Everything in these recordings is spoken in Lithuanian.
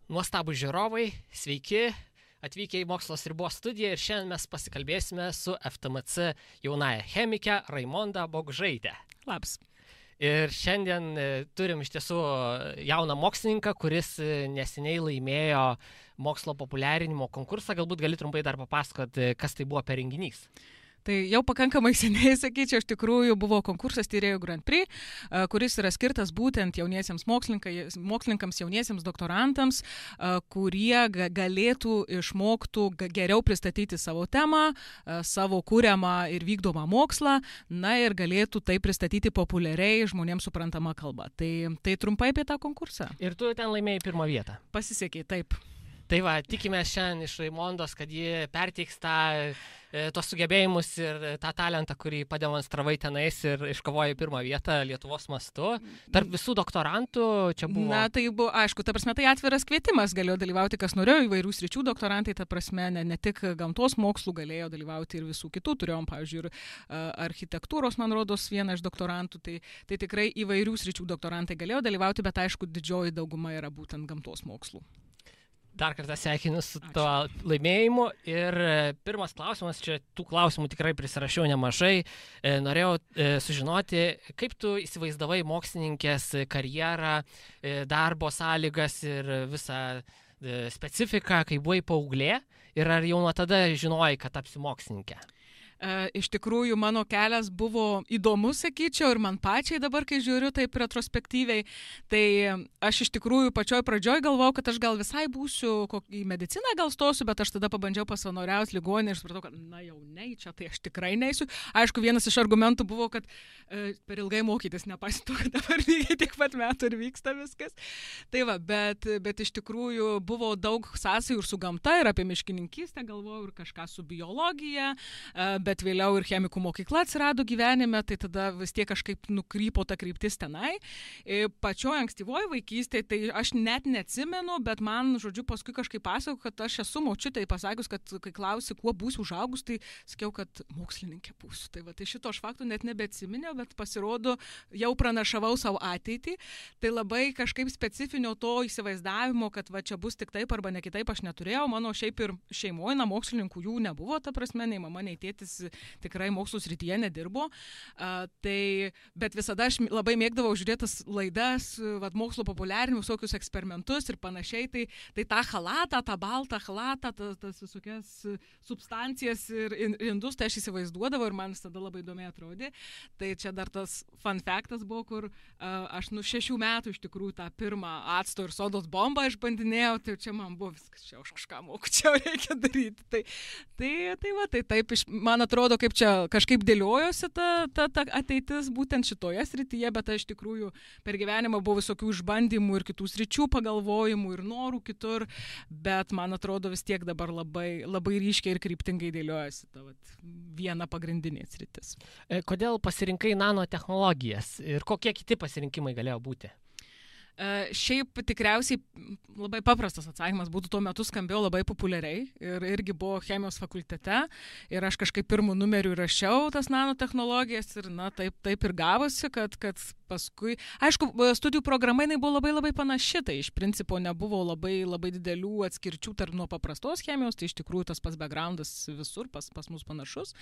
Nuostabų žiūrovai, sveiki, atvykę į Mokslo ribos studiją ir šiandien mes pasikalbėsime su FTMC jaunąja chemike Raimonda Bogžaite. Labas. Ir šiandien turim iš tiesų jauną mokslininką, kuris neseniai laimėjo mokslo populiarinimo konkursą. Galbūt gali trumpai dar papasakoti, kas tai buvo per renginys. Tai jau pakankamai seniai, sakyčiau, iš tikrųjų buvo konkursas Tyrėjų Grand Prix, kuris yra skirtas būtent jauniesiems mokslininkams, jauniesiems doktorantams, kurie galėtų išmoktų geriau pristatyti savo temą, savo kuriamą ir vykdomą mokslą, na ir galėtų tai pristatyti populiariai žmonėms suprantamą kalbą. Tai trumpai apie tą konkursą. Ir tu ten laimėjai pirmą vietą. Pasisekė, taip. Tai va, tikime šiandien iš Raimondos, kad ji perteiks tos sugebėjimus ir tą talentą, kurį pademonstravai tenais ir iškovojai pirmą vietą Lietuvos mastu. Tarp visų doktorantų čia buvo... Na, tai buvo, aišku, ta prasme, tai atviras kvietimas, galėjo dalyvauti, kas norėjo, įvairių sričių doktorantai, ta prasme, ne tik gamtos mokslų galėjo dalyvauti ir visų kitų. Turėjom, pavyzdžiui, ir architektūros, man rodos, vieną iš doktorantų, tai tikrai įvairių sričių doktorantai galėjo dalyvauti, bet aišku, didžioji dauguma yra būtent gamtos mokslų. Dar kartą sveikinu su tuo laimėjimu ir pirmas klausimas, čia tų klausimų tikrai prisirašiau nemažai, norėjau sužinoti, kaip tu įsivaizdavai mokslininkės karjerą, darbo sąlygas ir visą specifiką, kai buvai paauglė ir ar jau nuo tada žinojai, kad tapsi mokslininkė? Iš tikrųjų, mano kelias buvo įdomus, sakyčiau, ir man pačiai dabar, kai žiūriu taip retrospektyviai, tai aš iš tikrųjų pačioj pradžioj galvojau, kad aš gal visai būsiu į mediciną gal stosiu, bet aš tada pabandžiau pasavanoriauti ligoninėje ir supratau, kad na jau ne, čia tai aš tikrai neisiu. Aišku, vienas iš argumentų buvo, kad per ilgai mokytis, nepaisant to, kad dabar lygiai tiek pat metų ir vyksta viskas. Tai va, bet iš tikrųjų buvo daug sąsajų ir su gamta, ir apie miškininkystę galvojau, ir kažką su biologija, bet vėliau ir chemikų mokykla atsirado gyvenime, tai tada vis tiek kažkaip nukrypo ta kryptis tenai. Pačioj ankstyvoje vaikystėje, tai aš net neatsimenu, bet man, žodžiu, paskui kažkaip pasakau, kad aš esu močiutei pasakius, kad kai klausi, kuo būsiu užaugus, tai sakiau, kad mokslininkė būsiu. Tai va, tai šito aš faktų net nebeatsiminiau, bet pasirodo, jau pranašavau savo ateitį. Tai labai kažkaip specifinio to įsivaizdavimo, kad va čia bus tik taip arba ne kitaip, aš neturėjau. Mano šiaip ir šeimoje, mokslininkų jų nebuvo, ta prasme, nei mama, nei tėtis tikrai mokslų srityje nedirbo, bet visada aš labai mėgdavau žiūrėtas laidas, mokslo populiarinimus, visokius eksperimentus ir panašiai, tai tą chalatą, tą baltą chalatą, tas visokias substancijas ir indus, tai aš įsivaizduodavau ir man visada labai įdomiai atrodė. Tai čia dar tas fun factas buvo, kur aš 6 metų iš tikrųjų tą pirmą acto ir sodos bombą išbandinėjau, tai čia man buvo viskas, čia aš kažką moku, čia reikia daryti. Tai taip, man atrodo, kaip čia kažkaip dėliojosi ta ateitis būtent šitoje srityje, bet iš tikrųjų per gyvenimą buvo visokių išbandymų ir kitų sričių pagalvojimų ir norų kitur, bet man atrodo vis tiek dabar labai, labai ryškiai ir kryptingai dėliojasi ta viena pagrindinė sritis. Kodėl pasirinkai nanotechnologijas ir kokie kiti pasirinkimai galėjo būti? Šiaip tikriausiai labai paprastas atsakymas būtų, tuo metu skambėjo labai populiariai ir irgi buvo chemijos fakultete ir aš kažkaip pirmų numerių rašiau tas nanotechnologijas ir taip ir gavosi, kad paskui, aišku, studijų programa jinai buvo labai labai panaši, tai iš principo nebuvo labai labai didelių atskirčių tarp nuo paprastos chemijos, tai iš tikrųjų tas pats backgroundas visur pas mus panašus.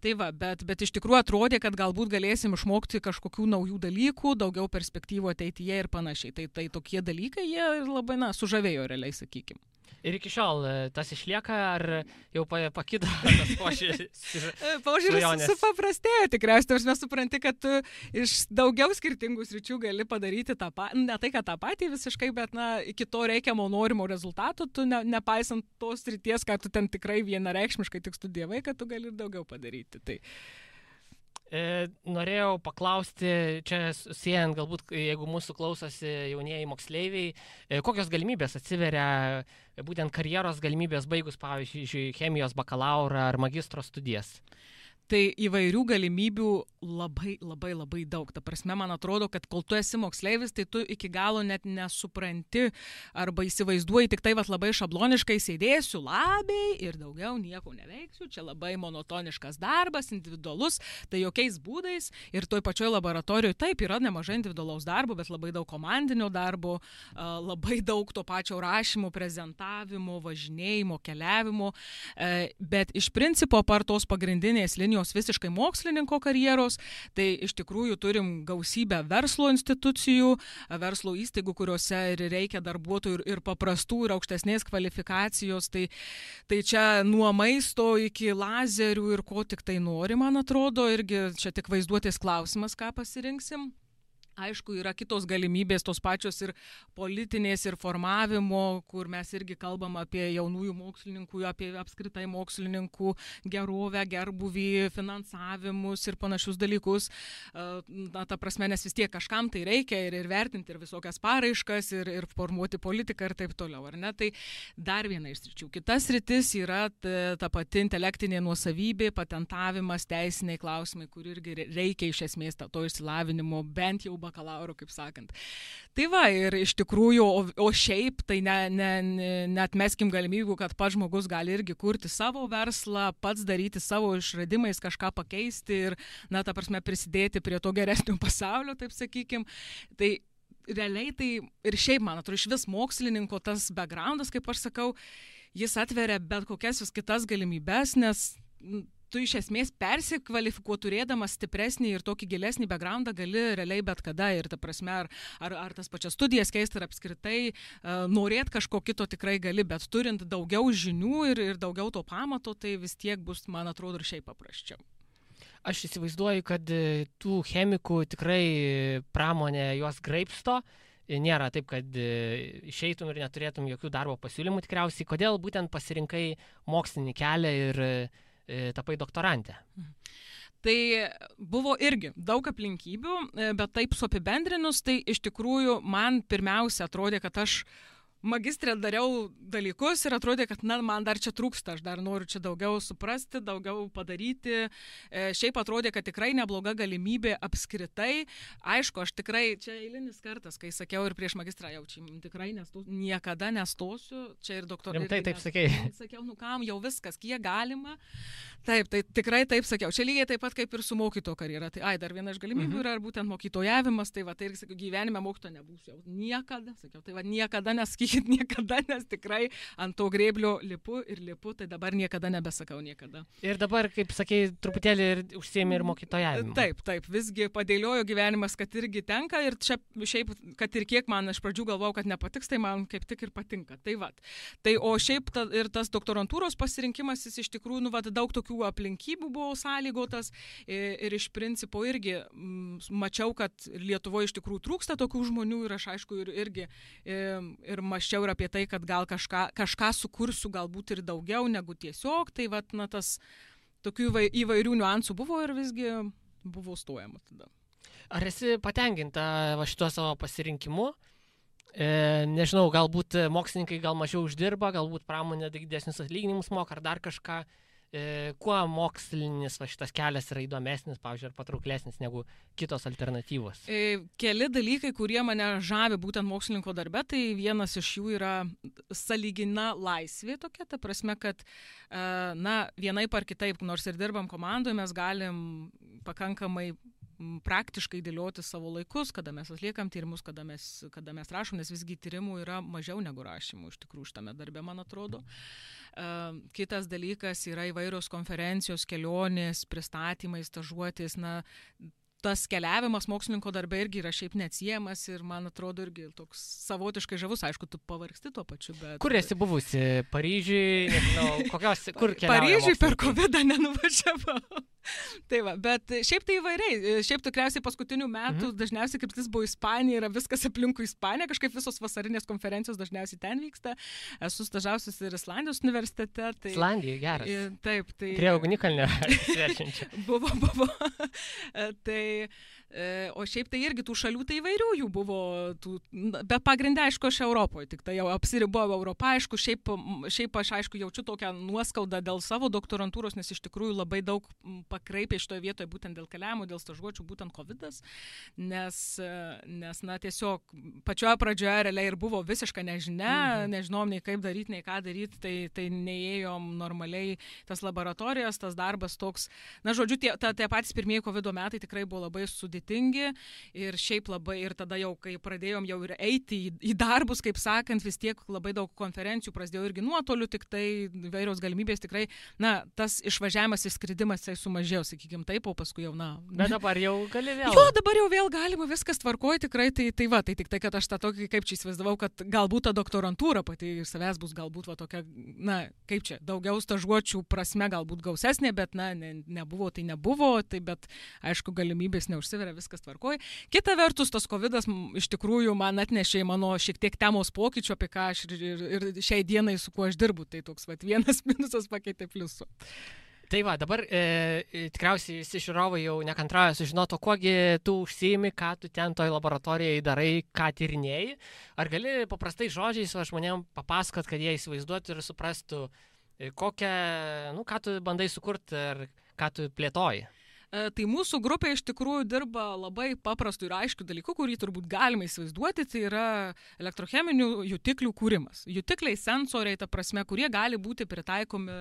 Tai va, bet iš tikrųjų atrodė, kad galbūt galėsim išmokti kažkokių naujų dalykų, daugiau perspektyvų ateityje ir panašiai. Tai tokie dalykai, jie labai, sužavėjo realiai, sakykime. Ir iki šiol tas išlieka, ar jau pakito tas požiūris supaprastėjo tikriausiai, aš nesupranti, kad tu iš daugiau skirtingų sričių gali padaryti tą patį, ne tai, kad tą patį visiškai, bet iki to reikiamo norimo rezultato, tu nepaisant tos srities, kad tu ten tikrai vienareikšmiškai tik studijavai, kad tu gali ir daugiau padaryti. Tai norėjau paklausti, čia siejant galbūt, jeigu mūsų klausosi jaunieji moksleiviai, kokios galimybės atsiveria būtent karjeros galimybės baigus, pavyzdžiui, chemijos bakalaurą ar magistro studijas? Tai įvairių galimybių labai daug. Ta prasme, man atrodo, kad kol tu esi moksleivis, tai tu iki galo net nesupranti arba įsivaizduoji tik tai labai šabloniškai sėdėsiu labiai ir daugiau nieko neveiksiu. Čia labai monotoniškas darbas, individualus, tai jokiais būdais. Ir toj pačioj laboratorijoje taip yra nemažai individualaus darbo, bet labai daug komandinio darbo, labai daug to pačio rašymo, prezentavimo, važinėjimo, keliavimo. Bet iš principo, apart tos pagrindinės linijos visiškai mokslininko karjeros, tai iš tikrųjų turim gausybę verslo institucijų, verslo įstaigų, kuriuose ir reikia darbuotojų ir paprastų, ir aukštesnės kvalifikacijos. Tai čia nuo maisto iki lazerių ir ko tik tai nori, man atrodo, irgi čia tik vaizduotės klausimas, ką pasirinksim. Aišku, yra kitos galimybės, tos pačios ir politinės, ir formavimo, kur mes irgi kalbam apie jaunųjų mokslininkų, apie apskritai mokslininkų gerovę, gerbuvį, finansavimus ir panašius dalykus. Na, ta prasme, nes vis tiek kažkam tai reikia ir vertinti ir visokias paraiškas, ir formuoti politiką ir taip toliau, ar ne? Tai dar viena iš sričių. Kitas sritis yra ta pati intelektinė nuosavybė, patentavimas, teisiniai klausimai, kur irgi reikia iš esmės to išsilavinimo, bent jau bakalauro, kaip sakant. Tai va, ir iš tikrųjų, o šiaip, tai neatmeskim galimybių, kad pats žmogus gali irgi kurti savo verslą, pats daryti savo išradimais, kažką pakeisti ir, na, ta prasme, prisidėti prie to geresnio pasaulio, taip sakykim. Tai realiai tai ir šiaip, man atrodo, iš vis mokslininko tas backgroundas, kaip aš sakau, jis atveria bet kokias vis kitas galimybes, nes tu iš esmės persikvalifikuoti turėdamas stipresnį ir tokį gilesnį backgroundą gali realiai bet kada ir ta prasme, ar tas pačias studijas keisti, ar apskritai norėt kažko kito tikrai gali, bet turint daugiau žinių ir daugiau to pamato, tai vis tiek bus, man atrodo, ir šiaip paprasčiau. Aš įsivaizduoju, kad tų chemikų tikrai pramonė juos graibsto. Nėra taip, kad išeitum ir neturėtum jokių darbo pasiūlymų tikriausiai. Kodėl būtent pasirinkai mokslinį kelią ir tapai doktorantė? Tai buvo irgi daug aplinkybių, bet taip suapibendrinus, tai iš tikrųjų man pirmiausia atrodė, kad aš magistrė dariau dalykus ir atrodė, kad man dar čia trūksta, aš dar noriu čia daugiau suprasti, daugiau padaryti. Šiaip atrodė, kad tikrai nebloga galimybė apskritai. Aišku, aš tikrai, čia eilinis kartas, kai sakiau ir prieš magistrą jaučiu, tikrai niekada nestosiu, čia ir doktorai. Rimtai taip sakei. Sakiau, kam jau viskas, kiek galima. Taip, tai tikrai taip sakiau. Čia lygiai taip pat kaip ir su mokytojo karjera. Tai dar viena iš galimybių yra būtent mokytojavimas, tai va, tai ir sakiau, gyvenime mokytoja nebūsiu jau. Niekada, sakiau, tai va, niekada neskykit, niekada, nes tikrai ant to grėblio lipu, tai dabar niekada nebesakau niekada. Ir dabar, kaip sakei, truputėlį ir užsiėmė ir mokytojavimu. Taip, visgi padėliojo gyvenimas, kad irgi tenka ir čia šiaip, kad ir kiek man iš pradžių galvau, kad nepatiks, tai man kaip tik ir patinka. Tai va. Tai o šiaip ir tas doktorantūros pasirinkimas, jis iš tikrųjų, daug tokių aplinkybių buvo sąlygotas ir iš principo irgi mačiau, kad Lietuvoje iš tikrųjų trūksta tokių žmonių ir aš aišku irgi ir maščiau ir apie tai, kad gal kažką sukursiu galbūt ir daugiau negu tiesiog, tai vat, tas tokių įvairių niuansų buvo ir visgi buvo stojama tada. Ar esi patenkinta šituo savo pasirinkimu? Nežinau, galbūt mokslininkai gal mažiau uždirba, galbūt pramonė didesnius atlyginimus moka ar dar kažką. Kuo mokslinis šitas kelias yra įdomesnis, pavyzdžiui, ar patrauklesnis negu kitos alternatyvos? Keli dalykai, kurie mane žavi būtent mokslininko darbe, tai vienas iš jų yra sąlygina laisvė tokia, ta prasme, kad vienaip ar kitaip, nors ir dirbam komandoje, mes galim pakankamai praktiškai dėlioti savo laikus, kada mes atliekam tyrimus, kada mes rašom, nes visgi tyrimų yra mažiau negu rašymų iš tikrųjų šitame darbe, man atrodo. Kitas dalykas yra įvairios konferencijos, kelionės, pristatymai, stažuotės, tas keliavimas mokslininko darbe irgi yra šiaip neatsiejamas ir man atrodo irgi toks savotiškai žavus, aišku, tu pavargsti tuo pačiu, bet... Kur esi buvusi? Paryžiui, nežinau, kur keliauja? Paryžiui per COVID nenuvažiavau. Tai va, bet šiaip tai įvairiai. Šiaip tikriausiai paskutinių metų dažniausiai kaip jis buvo Ispanija, yra viskas aplinkui Ispaniją, kažkaip visos vasarinės konferencijos dažniausiai ten vyksta. Esu stažavusis ir Islandijos universitete. Tai... Islandija, geras. Taip, tai... Prie ugnikalnio svečiančio. Buvo. Tai... O šiaip tai irgi tų šalių tai įvairių jų buvo, bet pagrindę, aišku, aš Europoje, tik tai jau apsiribojau Europą, aišku, šiaip aš, aišku, jaučiu tokią nuoskaudą dėl savo doktorantūros, nes iš tikrųjų labai daug pakraipė šitoje vietoje būtent dėl keliavimo, dėl stažuočių, būtent COVID-as, nes na, tiesiog pačioje pradžioje realiai ir buvo visiška nežinia, nežinom nei kaip daryti, nei ką daryti, tai neėjom normaliai tas laboratorijas, tas darbas toks, na, žodžiu, tie patys pirmieji COVID metai tikrai buvo labai sudėtingi ir šiaip labai, ir tada jau, kai pradėjom jau ir eiti į darbus, kaip sakant, vis tiek labai daug konferencijų prasidėjo irgi nuotoliu, tik tai vairios galimybės tikrai, na, tas išvažiavimas, išskridimas, tai sumažėjo, sakykime taip, o paskui jau, na. Bet dabar jau gali vėl. Jo, dabar jau vėl galima, viskas tvarkoja tikrai, tai tik tai, kad aš tą tokį, kaip čia įsivaizdavau, kad galbūt ta doktorantūra pati iš savęs bus galbūt va tokia, na, kaip čia, daugiau stažuočių prasme galbūt gausesnė, bet, na, nebuvo, tai bet, aišku, galimybės neužsiveria, viskas tvarkoja. Kita vertus, tas COVID-as iš tikrųjų man atnešė mano šiek tiek temos pokyčių, apie ką aš ir šiai dienai su kuo aš dirbu, tai toks vat vienas minusas pakeitė pliusų. Tai va, dabar tikriausiai visi žiūrovai jau nekantrauja sužinoto, kuogi tu užsiimi, ką tu ten toj laboratorijai darai, ką tyrinėjai. Ar gali paprastai žodžiais žmonėms papasakot, kad jie įsivaizduotų ir suprastų, ką tu bandai sukurti ir ką tu plėtoji? Tai mūsų grupė iš tikrųjų dirba labai paprastų ir aiškių dalykų, kurį turbūt galima įsivaizduoti, tai yra elektrocheminių jutiklių kūrimas. Jutikliai, sensoriai, ta prasme, kurie gali būti pritaikomi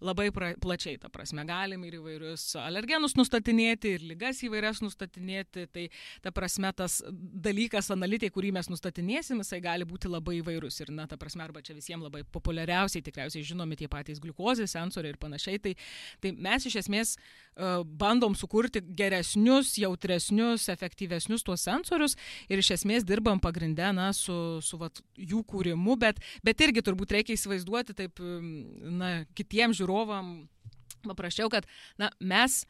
labai plačiai, ta prasme, galime ir įvairius alergenus nustatinėti, ir ligas įvairias nustatinėti, tai ta prasme, tas dalykas, analitai, kurį mes nustatinėsim, jisai gali būti labai įvairus. Ir, na, ta prasme, arba čia visiems labai populiariausiai, tikriausiai žinomi tie patys gliukozės, sensoriai ir panašiai, tai mes iš esmės bandom sukurti geresnius, jautresnius, efektyvesnius tuos sensorius ir iš esmės dirbam pagrindę, na, su jų kūrimu, bet irgi turbūt reikia įsivaizduoti taip, na, kitiems žiūrovam paprasčiau, kad, na, mes,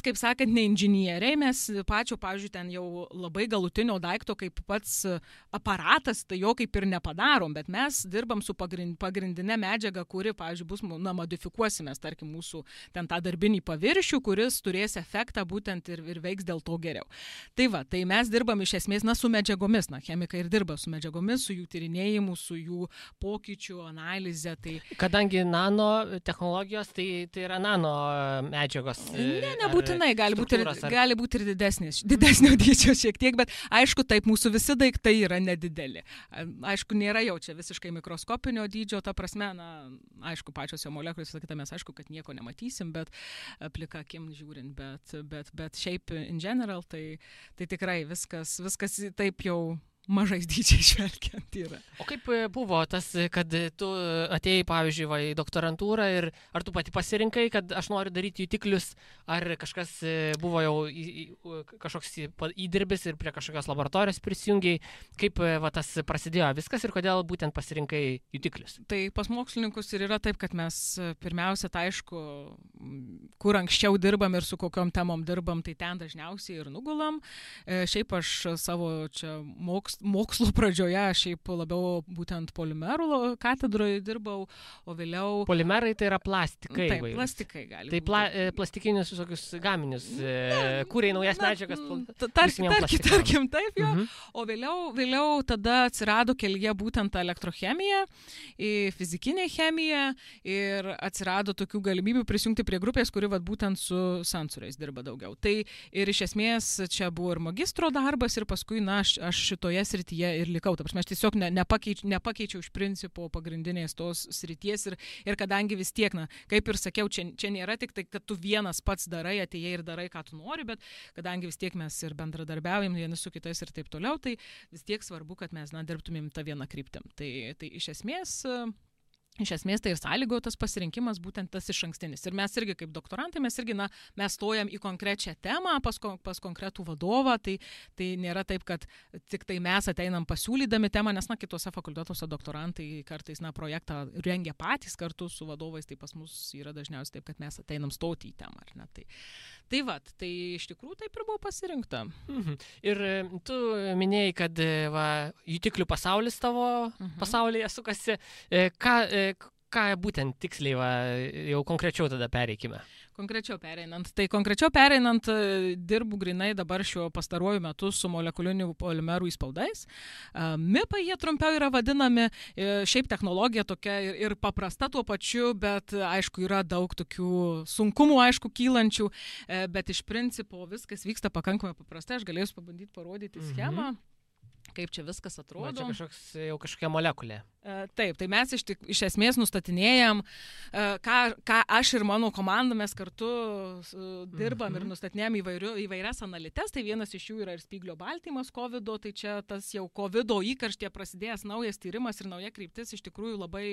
kaip sakant, ne inžinieriai, mes pavyzdžiui, ten jau labai galutinio daikto kaip pats aparatas, tai jo kaip ir nepadarom, bet mes dirbam su pagrindinė medžiaga, kuri, pavyzdžiui, bus, na, modifikuosimės, tarkim, mūsų ten tą darbinį paviršių, kuris turės efektą būtent ir veiks dėl to geriau. Tai va, tai mes dirbam iš esmės, na, su medžiagomis, na, chemikai ir dirba su medžiagomis, su jų tyrinėjimu, su jų pokyčių analize. Tai... Kadangi nano technologijos, tai yra nano medžiagos. Nebūtinai, gali būti ir didesnio dydžio šiek tiek, bet aišku, taip, mūsų visi daiktai yra nedideli. Aišku, nėra jau čia visiškai mikroskopinio dydžio, ta prasme, na, aišku, pačios jo molekulės, visą kitą mes aišku, kad nieko nematysim, bet plika akim žiūrint, bet šiaip in general, tai tikrai viskas taip jau mažais dydžiai žvelgiant yra. O kaip buvo tas, kad tu atėjai, pavyzdžiui, į doktorantūrą ir ar tu pati pasirinkai, kad aš noriu daryti jutiklius, ar kažkas buvo jau kažkoks įdirbis ir prie kažkokios laboratorijos prisijungiai, kaip tas prasidėjo viskas ir kodėl būtent pasirinkai jutiklius? Tai pas mokslininkus ir yra taip, kad mes pirmiausia, tai aišku, kur anksčiau dirbam ir su kokiom temom dirbam, tai ten dažniausiai ir nugulam. Šiaip aš savo čia mokslo pradžioje, aš šiaip labiau būtent polimerų katedroje dirbau, o vėliau... Polimerai tai yra plastikai. Taip, plastikai gali būti. Tai plastikinius visokius gaminius, kūrė naujas medžiagas. Tarkim, taip, jo. O vėliau tada atsirado kelyje būtent elektrochemija, fizikinė chemija ir atsirado tokių galimybių prisijungti prie grupės, kuri būtent su sensoriais dirba daugiau. Tai ir iš esmės čia buvo ir magistro darbas ir paskui, na, aš šitoje srityje ir likau. Ta prasme, aš tiesiog nepakeičiau iš principo pagrindinės tos srities ir kadangi vis tiek, na, kaip ir sakiau, čia nėra tik tai, kad tu vienas pats darai, atėjai ir darai, ką tu nori, bet kadangi vis tiek mes ir bendradarbiaujam vieni su kitais ir taip toliau, tai vis tiek svarbu, kad mes, na, dirbtumėm tą vieną kryptim. Tai iš esmės tai ir sąlygojo tas pasirinkimas būtent tas išankstinis. Ir mes irgi kaip doktorantai, mes stojam į konkrečią temą pas konkretų vadovą, tai nėra taip, kad tik tai mes ateinam pasiūlydami temą, nes, na, kitose fakultetuose doktorantai kartais, na, projektą rengia patys kartu su vadovais, tai pas mus yra dažniausiai taip, kad mes ateinam stoti į temą, ar ne? Tai iš tikrųjų taip ir buvo pasirinkta. Ir tu minėjai, kad jutiklių pasaulis tavo pasaulyje sukasi. ką būtent tiksliai, jau konkrečiau tada pereikime? Konkrečiau pereinant, dirbu grinai dabar šiuo pastaruoju metu su molekulinių polimerų įspaudais. MIPai jie trumpiau yra vadinami, šiaip technologija tokia ir paprasta tuo pačiu, bet aišku yra daug tokių sunkumų, aišku, kylančių, bet iš principo viskas vyksta pakankamai paprastai. Aš galėsiu pabandyti parodyti schemą. Kaip čia viskas atrodo. Čia kažkokia molekulė. Taip, tai mes iš esmės nustatinėjam, ką aš ir mano komanda mes kartu dirbam ir nustatinėjam įvairias analites. Tai vienas iš jų yra ir spyglio baltymas COVID-o, tai čia tas jau COVID-o įkarštyje prasidėjęs naujas tyrimas ir nauja kryptis iš tikrųjų labai,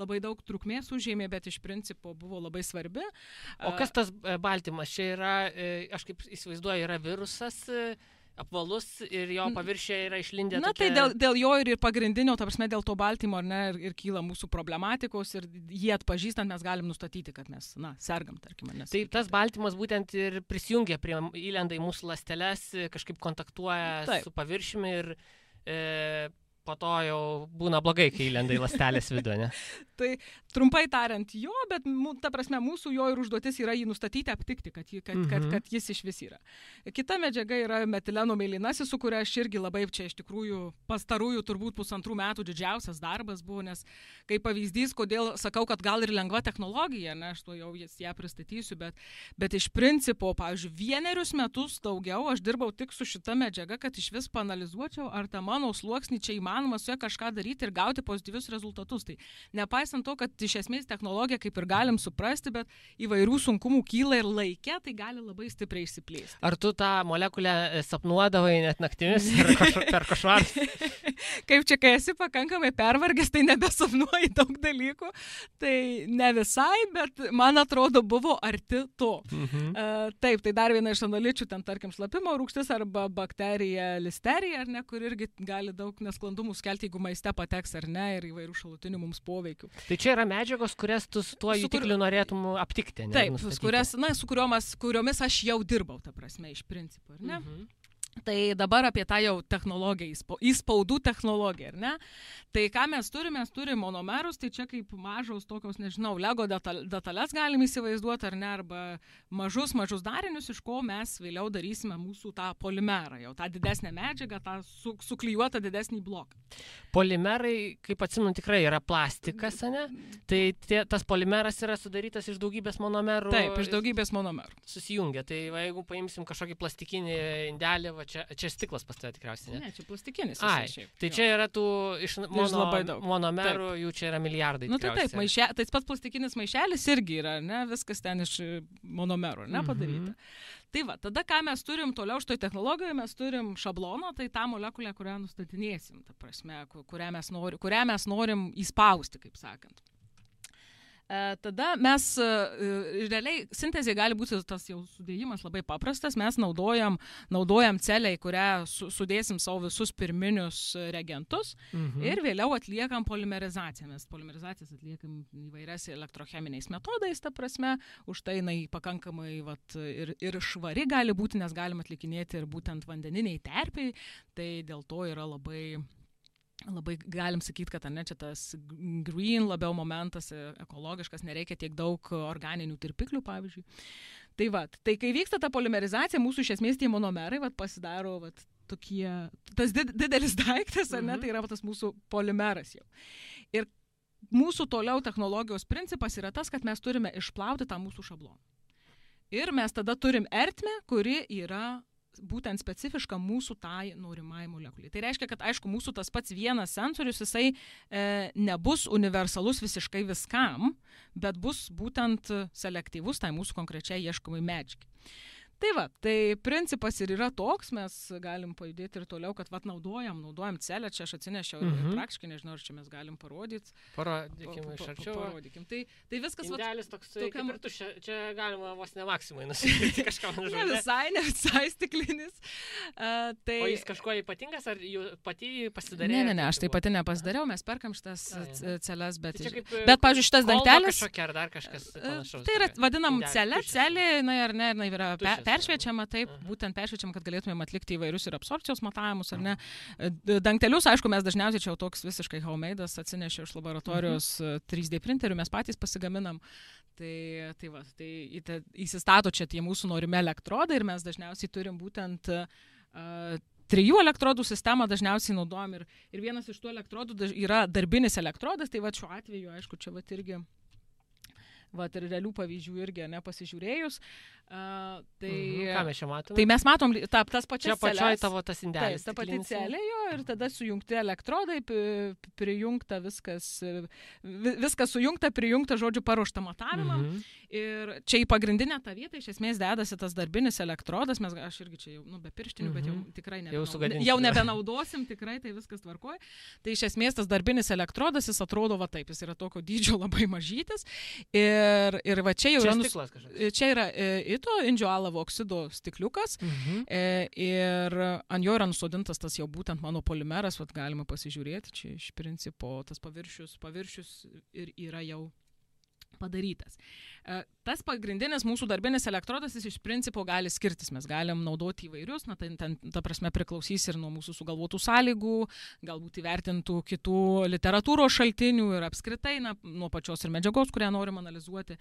labai daug trukmės užėmė, bet iš principo buvo labai svarbi. O kas tas baltymas? Čia yra, aš kaip įsivaizduoju, yra virusas apvalus ir jo paviršiai yra išlindę. Na, tai dėl jo ir pagrindinio, ta prasme, dėl to baltymo, ar ne, ir kyla mūsų problematikos ir jį atpažįstant mes galim nustatyti, kad mes, sergam, tarkim. Tai tas baltymas būtent ir prisijungia įlenda į mūsų ląsteles, kažkaip kontaktuoja su paviršiumi ir po to jau būna blogai, kai įlenda į ląstelės vidų, ne? Tai trumpai tariant jo, bet ta prasme mūsų jo ir užduotis yra jį nustatyti, aptikti, kad jis iš vis yra. Kita medžiaga yra metileno mėlynasis, su kuria aš irgi labai čia iš tikrųjų pastarųjų turbūt 1,5 metų didžiausias darbas buvo, nes kaip pavyzdys, kodėl sakau, kad gal ir lengva technologija, ne, aš to jau ją pristatysiu, bet iš principo, pavyzdžiui, 1 metus daugiau aš dirbau tik su šita medžiaga, kad iš vis paanalizuočiau, ar ta mano sluoksnį čia įmanoma su ja kažką daryti ir gauti pozityvius rezultatus. Tai nepaisant to, kad iš esmės technologija kaip ir galim suprasti, bet įvairių sunkumų kyla ir laike, tai gali labai stipriai išsiplėsti. Ar tu tą molekulę sapnuodavai net naktimis per košmarus? Kaip čia, kai esi pakankamai pervargęs, tai nebesapnuoji daug dalykų. Tai ne visai, bet man atrodo buvo arti to. Taip, tai dar viena iš analičių, ten tarkim šlapimo rūgštis arba bakterija listerija, ar ne, kur irgi gali daug nesklandumų skelti, jeigu maiste pateks ar ne, ir įvairių šalutinių mums poveikių. Tai čia yra medžiagos, kurias tu su tuo jutikliu norėtum aptikti, ne? Taip, su kuriomis aš jau dirbau, ta prasme, iš principo, ar ne? Tai dabar apie tą jau technologiją, įspaudų technologiją, ar ne? Tai ką mes turim monomerus, tai čia kaip mažos tokios, nežinau, Lego detalės galim įsivaizduoti, ar ne, arba mažus darinius, iš ko mes vėliau darysime mūsų tą polimerą, jau tą didesnę medžiagą, tą suklijuotą didesnį bloką. Polimerai, kaip atsimenu, tikrai yra plastikas, ne? Tai tas polimeras yra sudarytas iš daugybės monomerų. Taip, iš daugybės monomerų. Susijungia. Tai jeigu paimsim kažkokį plastikinį indelį, čia stiklas pas tave tikriausiai, ne? Ne, čia plastikinis. Tai čia yra tų iš monomerų, jų čia yra milijardai. Taip, tas pats plastikinis maišelis irgi yra, ne? Viskas ten iš monomerų, ne, padaryta. Tai va, tada ką mes turim toliau šitoj technologijoje, mes turim šabloną, tai tą molekulę, kurią nustatinėsim, ta prasme, kurią mes norim įspausti, kaip sakant. Tada mes, realiai, sintezė gali būti tas jau sudėjimas labai paprastas, mes naudojam celę, į kurią sudėsim savo visus pirminius reagentus ir vėliau atliekam polimerizaciją. Mes polymerizacijas atliekam įvairias elektrocheminiais metodais, ta prasme, už tai jinai pakankamai ir švari gali būti, nes galim atlikinėti ir būtent vandeniniai terpiai, tai dėl to yra labai galim sakyti, kad čia tas green labiau momentas, ekologiškas, nereikia tiek daug organinių tirpiklių, pavyzdžiui. Tai kai vyksta ta polimerizacija, mūsų iš esmės tie monomerai pasidaro tokie, tas didelis daiktas, ar ne, tai yra tas mūsų polimeras jau. Ir mūsų toliau technologijos principas yra tas, kad mes turime išplauti tą mūsų šabloną. Ir mes tada turim ertmę, kuri yra būtent specifiška mūsų tai norimai molekuliai. Tai reiškia, kad aišku, mūsų tas pats vienas sensorius, jisai nebus universalus visiškai viskam, bet bus būtent selektyvus tai mūsų konkrečiai ieškomai medžiagai. Tai va, tai principas ir yra toks, mes galim pajudėti ir toliau, kad naudojam celę, čia aš atsinešiau ir praktiškai, nežinau, ar čia mes galim parodyti. Parodykim iš arčiau. Parodykim. Tai viskas... Indelis toks, kaip ir tu, čia galima vos ne maksimai nusipirkti kažką. Ne visai stiklinis. O jis kažkuo ypatingas, ar pati pasidarė? Ne, aš tai pati nepasidariau, mes perkam šitas celes, bet, pavyzdžiui, šitas dangtelis... Ar dar kažkas panašaus. Tai yra, vadinam celė, ar ne, yra peršviečiama, taip, būtent peršviečiama, kad galėtumėm atlikti įvairius ir absorpcijos matavimus, ar ne. Dangtelius, aišku, mes dažniausiai čia jau toks visiškai homemade'as atsinešiu iš laboratorijos 3D printerių, mes patys pasigaminam. Tai įsistato čia tie mūsų norimi elektrodai ir mes dažniausiai turim būtent 3 elektrodų sistemą dažniausiai naudojam ir vienas iš tų elektrodų yra darbinis elektrodas, tai va šiuo atveju, aišku, čia va irgi ir realių pavyzdžių irgi nepasižiūrėjus. Ką mes čia matome? Tai mes matom tas pačias čia pačioj tavo tas indelis. Ta pati celė jo ir tada sujungti elektrodai, prijungta viskas sujungta, prijungta, žodžiu, paruošta matavimam. Ir čia į pagrindinę tą vietą iš esmės dedasi tas darbinis elektrodas, aš irgi čia jau be pirštinių, bet jau tikrai jau nebenaudosim, tikrai tai viskas tvarkoja. Tai iš esmės tas darbinis elektrodas, jis atrodo va taip, jis yra tokio dydžio labai mažytis. Ir va čia jau čia yra ito indžioalavo oksido stikliukas ir ant jo yra nusodintas tas jau būtent mano polimeras, vat galima pasižiūrėti, čia iš principo tas paviršius ir yra jau padarytas. Tas pagrindinis mūsų darbinis elektrodas, jis iš principo gali skirtis, mes galim naudoti įvairius, ta prasme priklausys ir nuo mūsų sugalvotų sąlygų, galbūt įvertintų kitų literatūros šaltinių ir apskritai nuo pačios ir medžiagos, kurią norim analizuoti.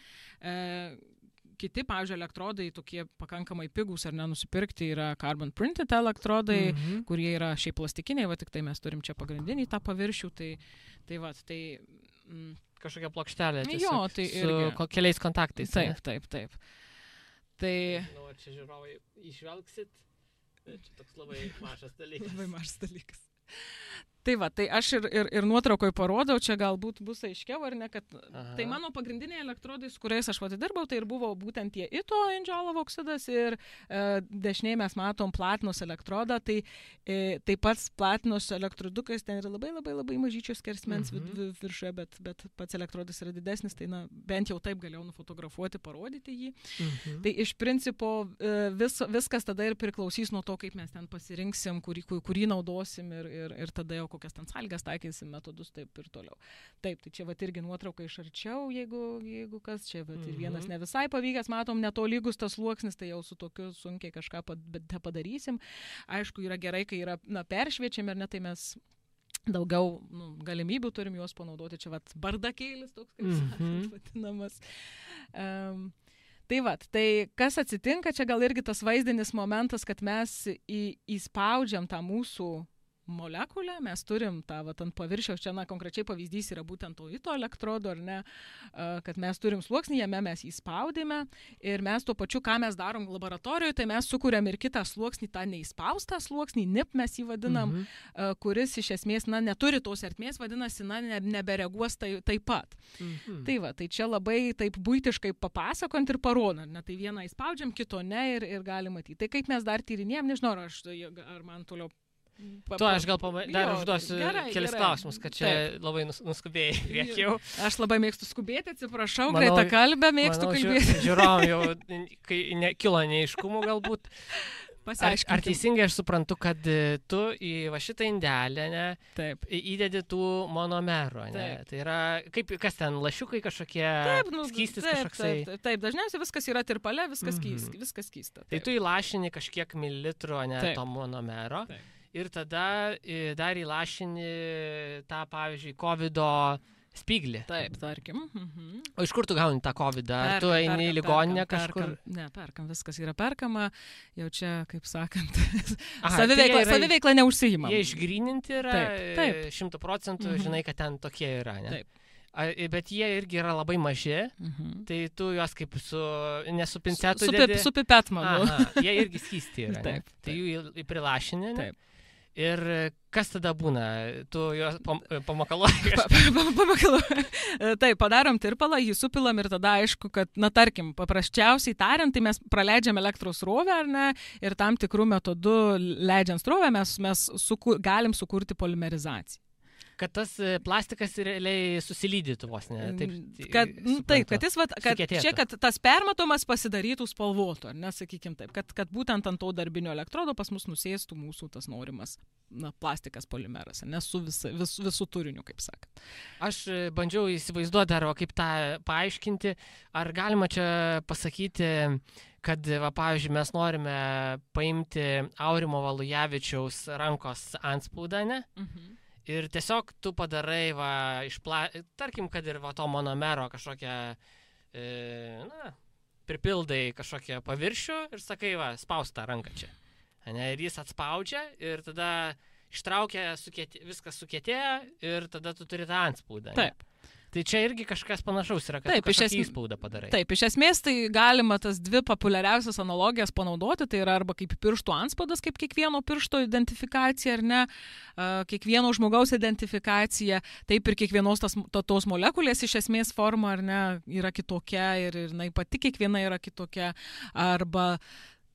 Kiti, pavyzdžiui, elektrodai tokie pakankamai pigūs ar nenusipirkti yra carbon printed elektrodai, kurie yra šiaip plastikiniai, va tik tai mes turim čia pagrindinį tą paviršių, tai kažkokia plokštelė su keliais kontaktais. Taip. Tai... čia žiūrovai išvelgsit, čia toks labai mažas dalykas. Labai mažas dalykas. Tai va, tai aš ir nuotraukoje parodau, čia galbūt bus aiškiau ar ne, kad tai mano pagrindiniai elektrodai, su kuriais aš dirbau, tai ir buvo būtent tie ito indžioalavo oksidas ir dešiniai mes matom platinos elektrodą, tai taip pat platinos elektrodukas ten yra labai mažyčios skersmens viršuje, bet pats elektrodas yra didesnis, tai bent jau taip galėjau nufotografuoti, parodyti jį. Tai iš principo viskas tada ir priklausys nuo to, kaip mes ten pasirinksim, kurį naudosim ir tada jau kokias ten sąlygas taikysim, metodus, taip ir toliau. Taip, tai čia irgi nuotrauka iš arčiau, jeigu kas, čia ir vienas ne visai pavykęs, matom, netolygus tas sluoksnis, tai jau su tokiu sunkiai kažką padarysim. Aišku, yra gerai, kai yra peršviečiami, ar ne, tai mes daugiau galimybių turim juos panaudoti. Čia bardakėlis toks, kaip sakant, vadinamas. Tai kas atsitinka, čia gal irgi tas vaizdinis momentas, kad mes įspaudžiam tą mūsų molekulę, mes turim tą ant paviršiaus, čia konkrečiai pavyzdys yra būtent to ito elektrodo, ar ne, kad mes turim sluoksnį, jame mes jį spaudėme ir mes tuo pačiu, ką mes darom laboratorijoje, tai mes sukuriam ir kitą sluoksnį, tą neįspaustą sluoksnį, NIP mes jį vadinam, kuris iš esmės, neturi tos ertmės, vadinasi, nebereaguos taip pat. Tai va, tai čia labai taip buitiškai papasakant ir parodant, tai vieną įspaudžiam, kito ne ir gali matyti. Tai kaip mes dar tyrinėjom, nežinau, ar man toliau Aš gal dar užduosiu kelis klausimus, kad čia labai nuskubėjai priekiau. Aš labai mėgstu skubėti, atsiprašau, greitą kalbę mėgstu kalbėti. Žiūrovom jau, kai kilo neaiškumų galbūt. Ar teisingai aš suprantu, kad tu į šitą indelę įdedi tų monomerų, ne? Tai yra, kas ten, lašiukai kažkokie, skystis kažkoksai? Taip, dažniausiai viskas yra tirpale, viskas skysta. Tai tu įlašini kažkiek mililitrų, ne, to monomero. Ir tada dar įlašini tą, pavyzdžiui, COVID-o spyglį. Taip, tarkim. O iš kur tu gauni tą COVID-ą? Ar tu eini į ligoninę kažkur? Ne, perkam, viskas yra perkama. Jau čia, kaip sakant, saviveikla neužsiimam. Jie išgryninti yra 100%, žinai, kad ten tokie yra, ne? Taip. Bet jie irgi yra labai maži, tai tu juos kaip nesu pincetu dedi. Su pipetmanu. Jie irgi skysti yra, ne? Tai jų prilašini, ne? Ir kas tada būna? Tu juos pamakaluoji? Pamakaluoji. Taip, padarom tirpalą, jį supilam ir tada aišku, kad, tarkim, paprasčiausiai tariant, tai mes praleidžiam elektros srovę, ar ne, ir tam tikrų metodų leidžiant srovę mes galim sukurti polimerizaciją. kad tas plastikas realiai susilydytų vos, ne? Kad jis, kad tas permatomas pasidarytų spalvotų, ar ne, sakykim taip, kad būtent ant to darbinio elektrodo pas mus nusėstų mūsų tas norimas plastikas polimeras, ne, su visų turiniu, kaip sakant. Aš bandžiau įsivaizduoti dar, kaip tą paaiškinti, ar galima čia pasakyti, kad, pavyzdžiui, mes norime paimti Aurimo Valujavičiaus rankos antspaudą, ne? Ir tiesiog tu padarai, tarkim, kad ir to monomero kažkokią, pripildai kažkokią paviršių ir sakai, spaus tą ranką čia. Ne? Ir jis atspaudžia ir tada ištraukia, viskas sukietėja ir tada tu turi tą antspaudą. Taip. Tai čia irgi kažkas panašaus yra, kad kažkokį įspaudą padarai. Taip, iš esmės tai galima tas dvi populiariausias analogijas panaudoti, tai yra arba kaip pirštų antspaudas, kaip kiekvieno piršto identifikacija, ar ne, kiekvieno žmogaus identifikacija, taip ir kiekvienos tos molekulės iš esmės forma, ar ne, yra kitokia ir pati kiekviena yra kitokia, arba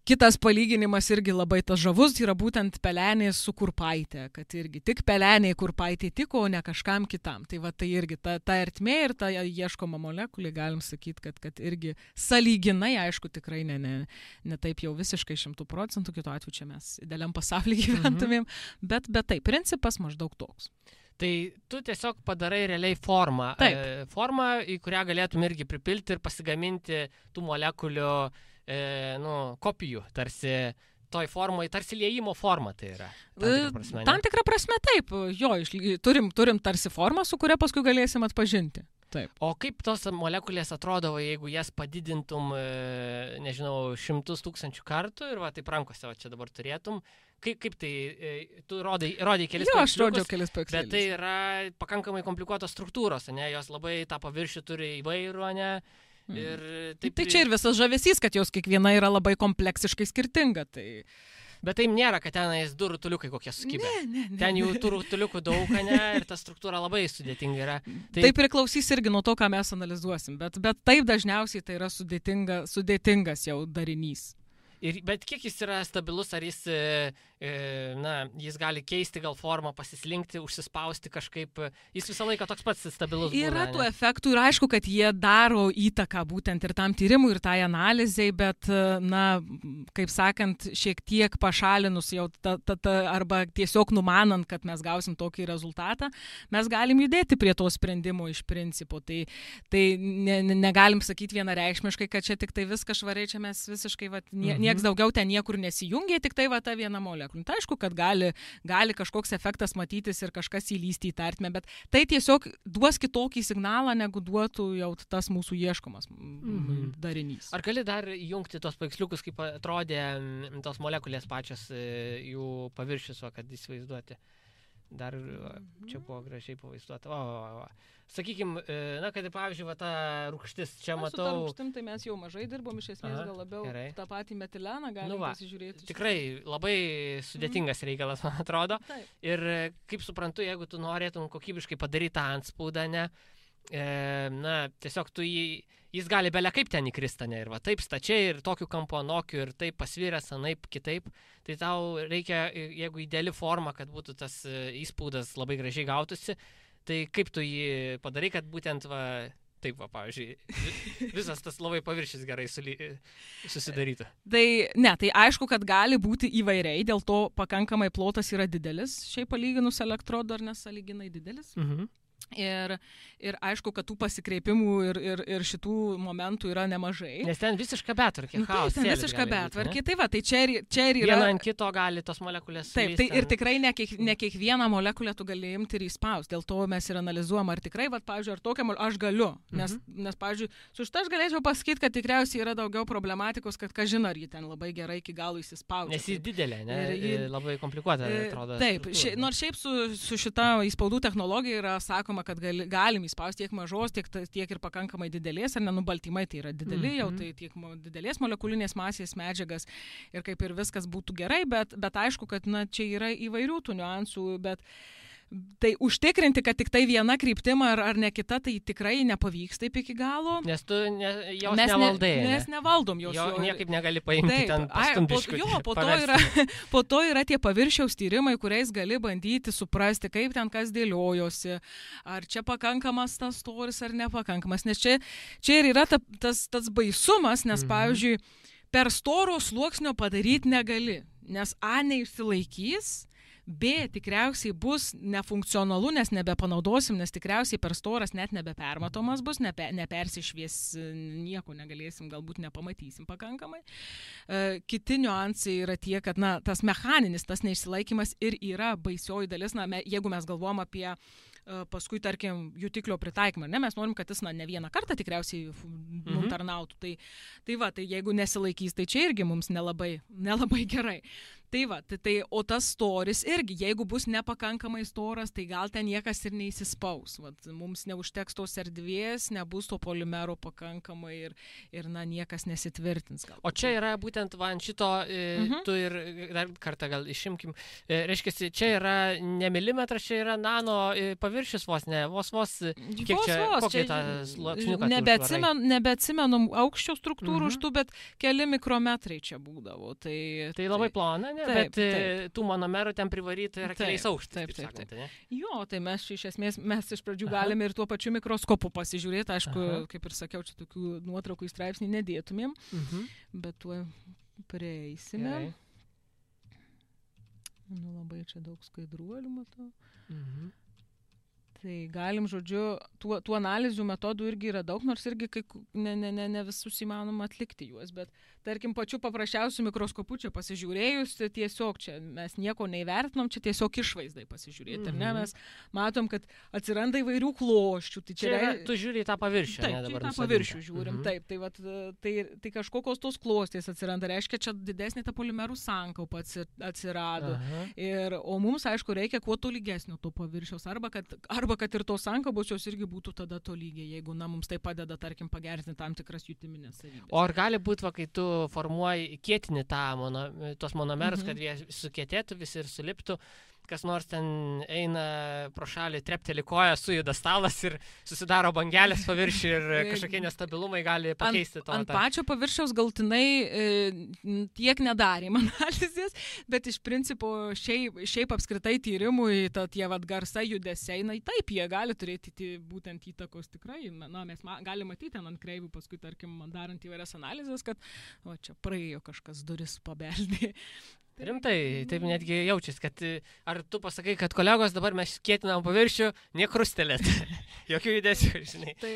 kitas palyginimas irgi labai tas žavus, yra būtent pelenės su kurpaitė, kad irgi tik peleniai kurpaitė tiko, o ne kažkam kitam. Tai tai irgi ta ertmė ir ta ieškoma molekulė, galim sakyti, kad irgi sąlyginai, aišku, tikrai ne taip jau visiškai 100%, kitu atveju čia mes idealiam pasaulyje gyventumėm, bet taip, principas maždaug toks. Tai tu tiesiog padarai realiai formą, į kurią galėtum irgi pripilti ir pasigaminti tų molekulių kopijų, tarsi toj formai, tarsi liejimo forma tai yra. Tam tikrą prasme taip, turim tarsi formą, su kuria paskui galėsim atpažinti. Taip. O kaip tos molekulės atrodavo, jeigu jas padidintum, nežinau, 100 000 kartų ir taip rankose čia dabar turėtum, kaip tai, tu rodai kelis paveiksliukus, aš rodžiau kelis paveiksliukus. Bet tai yra pakankamai komplikuotos struktūros, ne, jos labai tą paviršių turi įvairų, ne. Ir tai čia ir visas žavesys, kad jos kiekviena yra labai kompleksiškai skirtinga. Bet tai nėra, kad tenais du rutuliukai kokie sukibę. Ne. Ten jų tų rutuliukų daug, ne, ir ta struktūra labai sudėtinga yra. Tai priklausys irgi nuo to, ką mes analizuosim, bet taip dažniausiai tai yra sudėtingas jau darinys. Bet kiek jis yra stabilus, ar jis, jis gali keisti gal formą, pasislinkti, užsispausti kažkaip, jis visą laiką toks pats stabilus būna. Yra tų efektų ir aišku, kad jie daro įtaką būtent ir tam tyrimui, ir tai analizai, bet, kaip sakant, šiek tiek pašalinus jau arba tiesiog numanant, kad mes gausim tokį rezultatą, mes galim judėti prie to sprendimo iš principo. Tai negalim sakyti vienareikšmiškai, kad čia tik tai viskas švariai, čia mes visiškai nieks daugiau ten niekur nesijungia, tik tai ta viena molekulė. Tai aišku, kad gali kažkoks efektas matytis ir kažkas įlysti į tą ertmę, bet tai tiesiog duos kitokį signalą, negu duotų jau tas mūsų ieškomas darinys. Ar gali dar jungti tos paveiksliukus, kaip atrodė tos molekulės pačios jų paviršius, kad įsivaizduoti? Dar čia buvo gražiai pavaizduota. Sakykime, kad pavyzdžiui, ta rūgštis, čia matau... Su ta rūgštim tai mes jau mažai dirbom, iš esmės gal labiau tą patį metileną galim pasižiūrėti. Tikrai labai sudėtingas reikalas, man atrodo. Taip. Ir kaip suprantu, jeigu tu norėtum kokybiškai padaryti tą antspaudą, tiesiog jis gali belia kaip ten įkrista, ir taip stačiai, ir tokiu kampu anokiu, ir taip pasviręs, anaip kitaip, tai tau reikia, jeigu ideali forma, kad būtų tas įspaudas labai gražiai gautųsi, tai kaip tu jį padarai, kad būtent pavyzdžiui, visas tas labai paviršis gerai susidarytų. Tai aišku, kad gali būti įvairiai, dėl to pakankamai plotas yra didelis, šiaip palyginus elektrodo ar nesąlyginai didelis. Ir aišku, kad tų pasikreipimų ir šitų momentų yra nemažai. Nes ten visiška betvarkė, chaosėlis. Ten visiška betvarkė, tai čia ir yra... Viena ant kito gali tos molekulės suvesti. Taip, ir tikrai ne kiekvieną molekulę tu gali imti ir įspausti. Dėl to mes ir analizuojam, ar tikrai, pavyzdžiui, ar tokią aš galiu. Nes, pavyzdžiui, su šitą aš galėčiau pasakyti, kad tikriausiai yra daugiau problematikos, kad kažin ar ji ten labai gerai iki galo įsispausti. Nes ji didelė, labai komplikuota, atrodo. Taip, nors šiaip su šita įspaudų technologija yra sakoma, kad galim įspausti tiek mažos, tiek ir pakankamai didelės, ar baltymai tai yra dideli, jau tai tiek didelės molekulinės masės medžiagas ir kaip ir viskas būtų gerai, bet aišku, kad čia yra įvairių tų niuansų, bet Tai užtikrinti, kad tik tai viena kryptim ar ne kita, tai tikrai nepavyks taip iki galo. Nes tu jos nevaldai. Mes nevaldom jos. Jo niekaip negali paimti ten pastumbiškų. Po to yra tie paviršiaus tyrimai, kuriais gali bandyti suprasti, kaip ten kas dėliojosi, ar čia pakankamas tas storis ar nepakankamas. Nes čia ir yra tas baisumas, nes pavyzdžiui, per storo sluoksnio padaryti negali, nes A neišsilaikys, B tikriausiai bus nefunkcionalu, nes nebepanaudosim, nes tikriausiai per storas net nebepermatomas bus, nepersišvies, nieko negalėsim, galbūt nepamatysim pakankamai. Kiti niuansai yra tie, kad tas mechaninis, tas neišsilaikymas ir yra baisioji dalis, jeigu mes galvom apie paskui, tarkim, jutiklio pritaikymą. Mes norim, kad jis ne vieną kartą tikriausiai tarnautų. Tai jeigu nesilaikys, tai čia irgi mums nelabai gerai. O tas storis irgi, jeigu bus nepakankamai storas, tai gal ten niekas ir neįsispaus. Mums neužteks tos erdvės, nebus to polimero pakankamai ir niekas nesitvirtins. O čia yra būtent ant šito, tu ir dar kartą gal išimkim, reiškia, čia yra ne milimetras, čia yra nano paviršius vos, kiek čia, kokį tą sluoksniuką? Nebeatsimenu aukščio struktūrų už tų, bet keli mikrometrai čia būdavo. Tai labai plona, ne? Bet tų monomerų ten privaryta yra keliais aukštais. Taip. Jo, tai mes iš pradžių galime ir tuo pačiu mikroskopu pasižiūrėti. Aišku, kaip ir sakiau, čia tokių nuotraukų į straipsnį nedėtumėm, bet tuo prieisime. Labai čia daug skaidruolių matau. Tai galim, žodžiu, tų analizių metodų irgi yra daug, nors irgi ne visus įmanoma atlikti juos, bet tarkim, pačiu paprasčiausiu mikroskopu čia pasižiūrėjus, tiesiog čia mes nieko neįvertinom, čia tiesiog išvaizdai pasižiūrėti, ar ne? Mes matom, kad atsiranda įvairių kloščių. Tai čia tu žiūri į tą paviršių, taip, ne? Dabar tą paviršių žiūrim, taip. Tai kažkokios tos klostės atsiranda, reiškia, čia didesnė ta polimerų sankaupa atsirado. O mums, aišku, reikia kuo tolygesnio to paviršiaus, arba kad ir tos sankaubos jos irgi būtų tada tolygiai, jeigu mums tai padeda, tarkim, pagerinti tam tikras jutiminės savybės. O ar gali būti, kai tu formuoji kietinį tos monomerus, kad jie sukietėtų visi ir suliptų, kas nors ten eina pro šalį, trepteli koją, sujuda stalas ir susidaro bangelės paviršių ir kažkokie nestabilumai gali pakeisti to. Ant pačio paviršiaus galtinai tiek nedarėm analizės, bet iš principo šiaip apskritai tyrimui tie garsai, judesiai, taip, jie gali turėti būtent įtakos tikrai. Mes galime matyti ant kreivių, paskui, tarkim, darant įvairias analizės, kad čia praėjo kažkas duris pabeldė. Rimtai, taip netgi jaučiasi, kad ar tu pasakai, kad kolegos dabar mes kietinam paviršių, nekrustelėt, jokių judesių, žinai. Tai,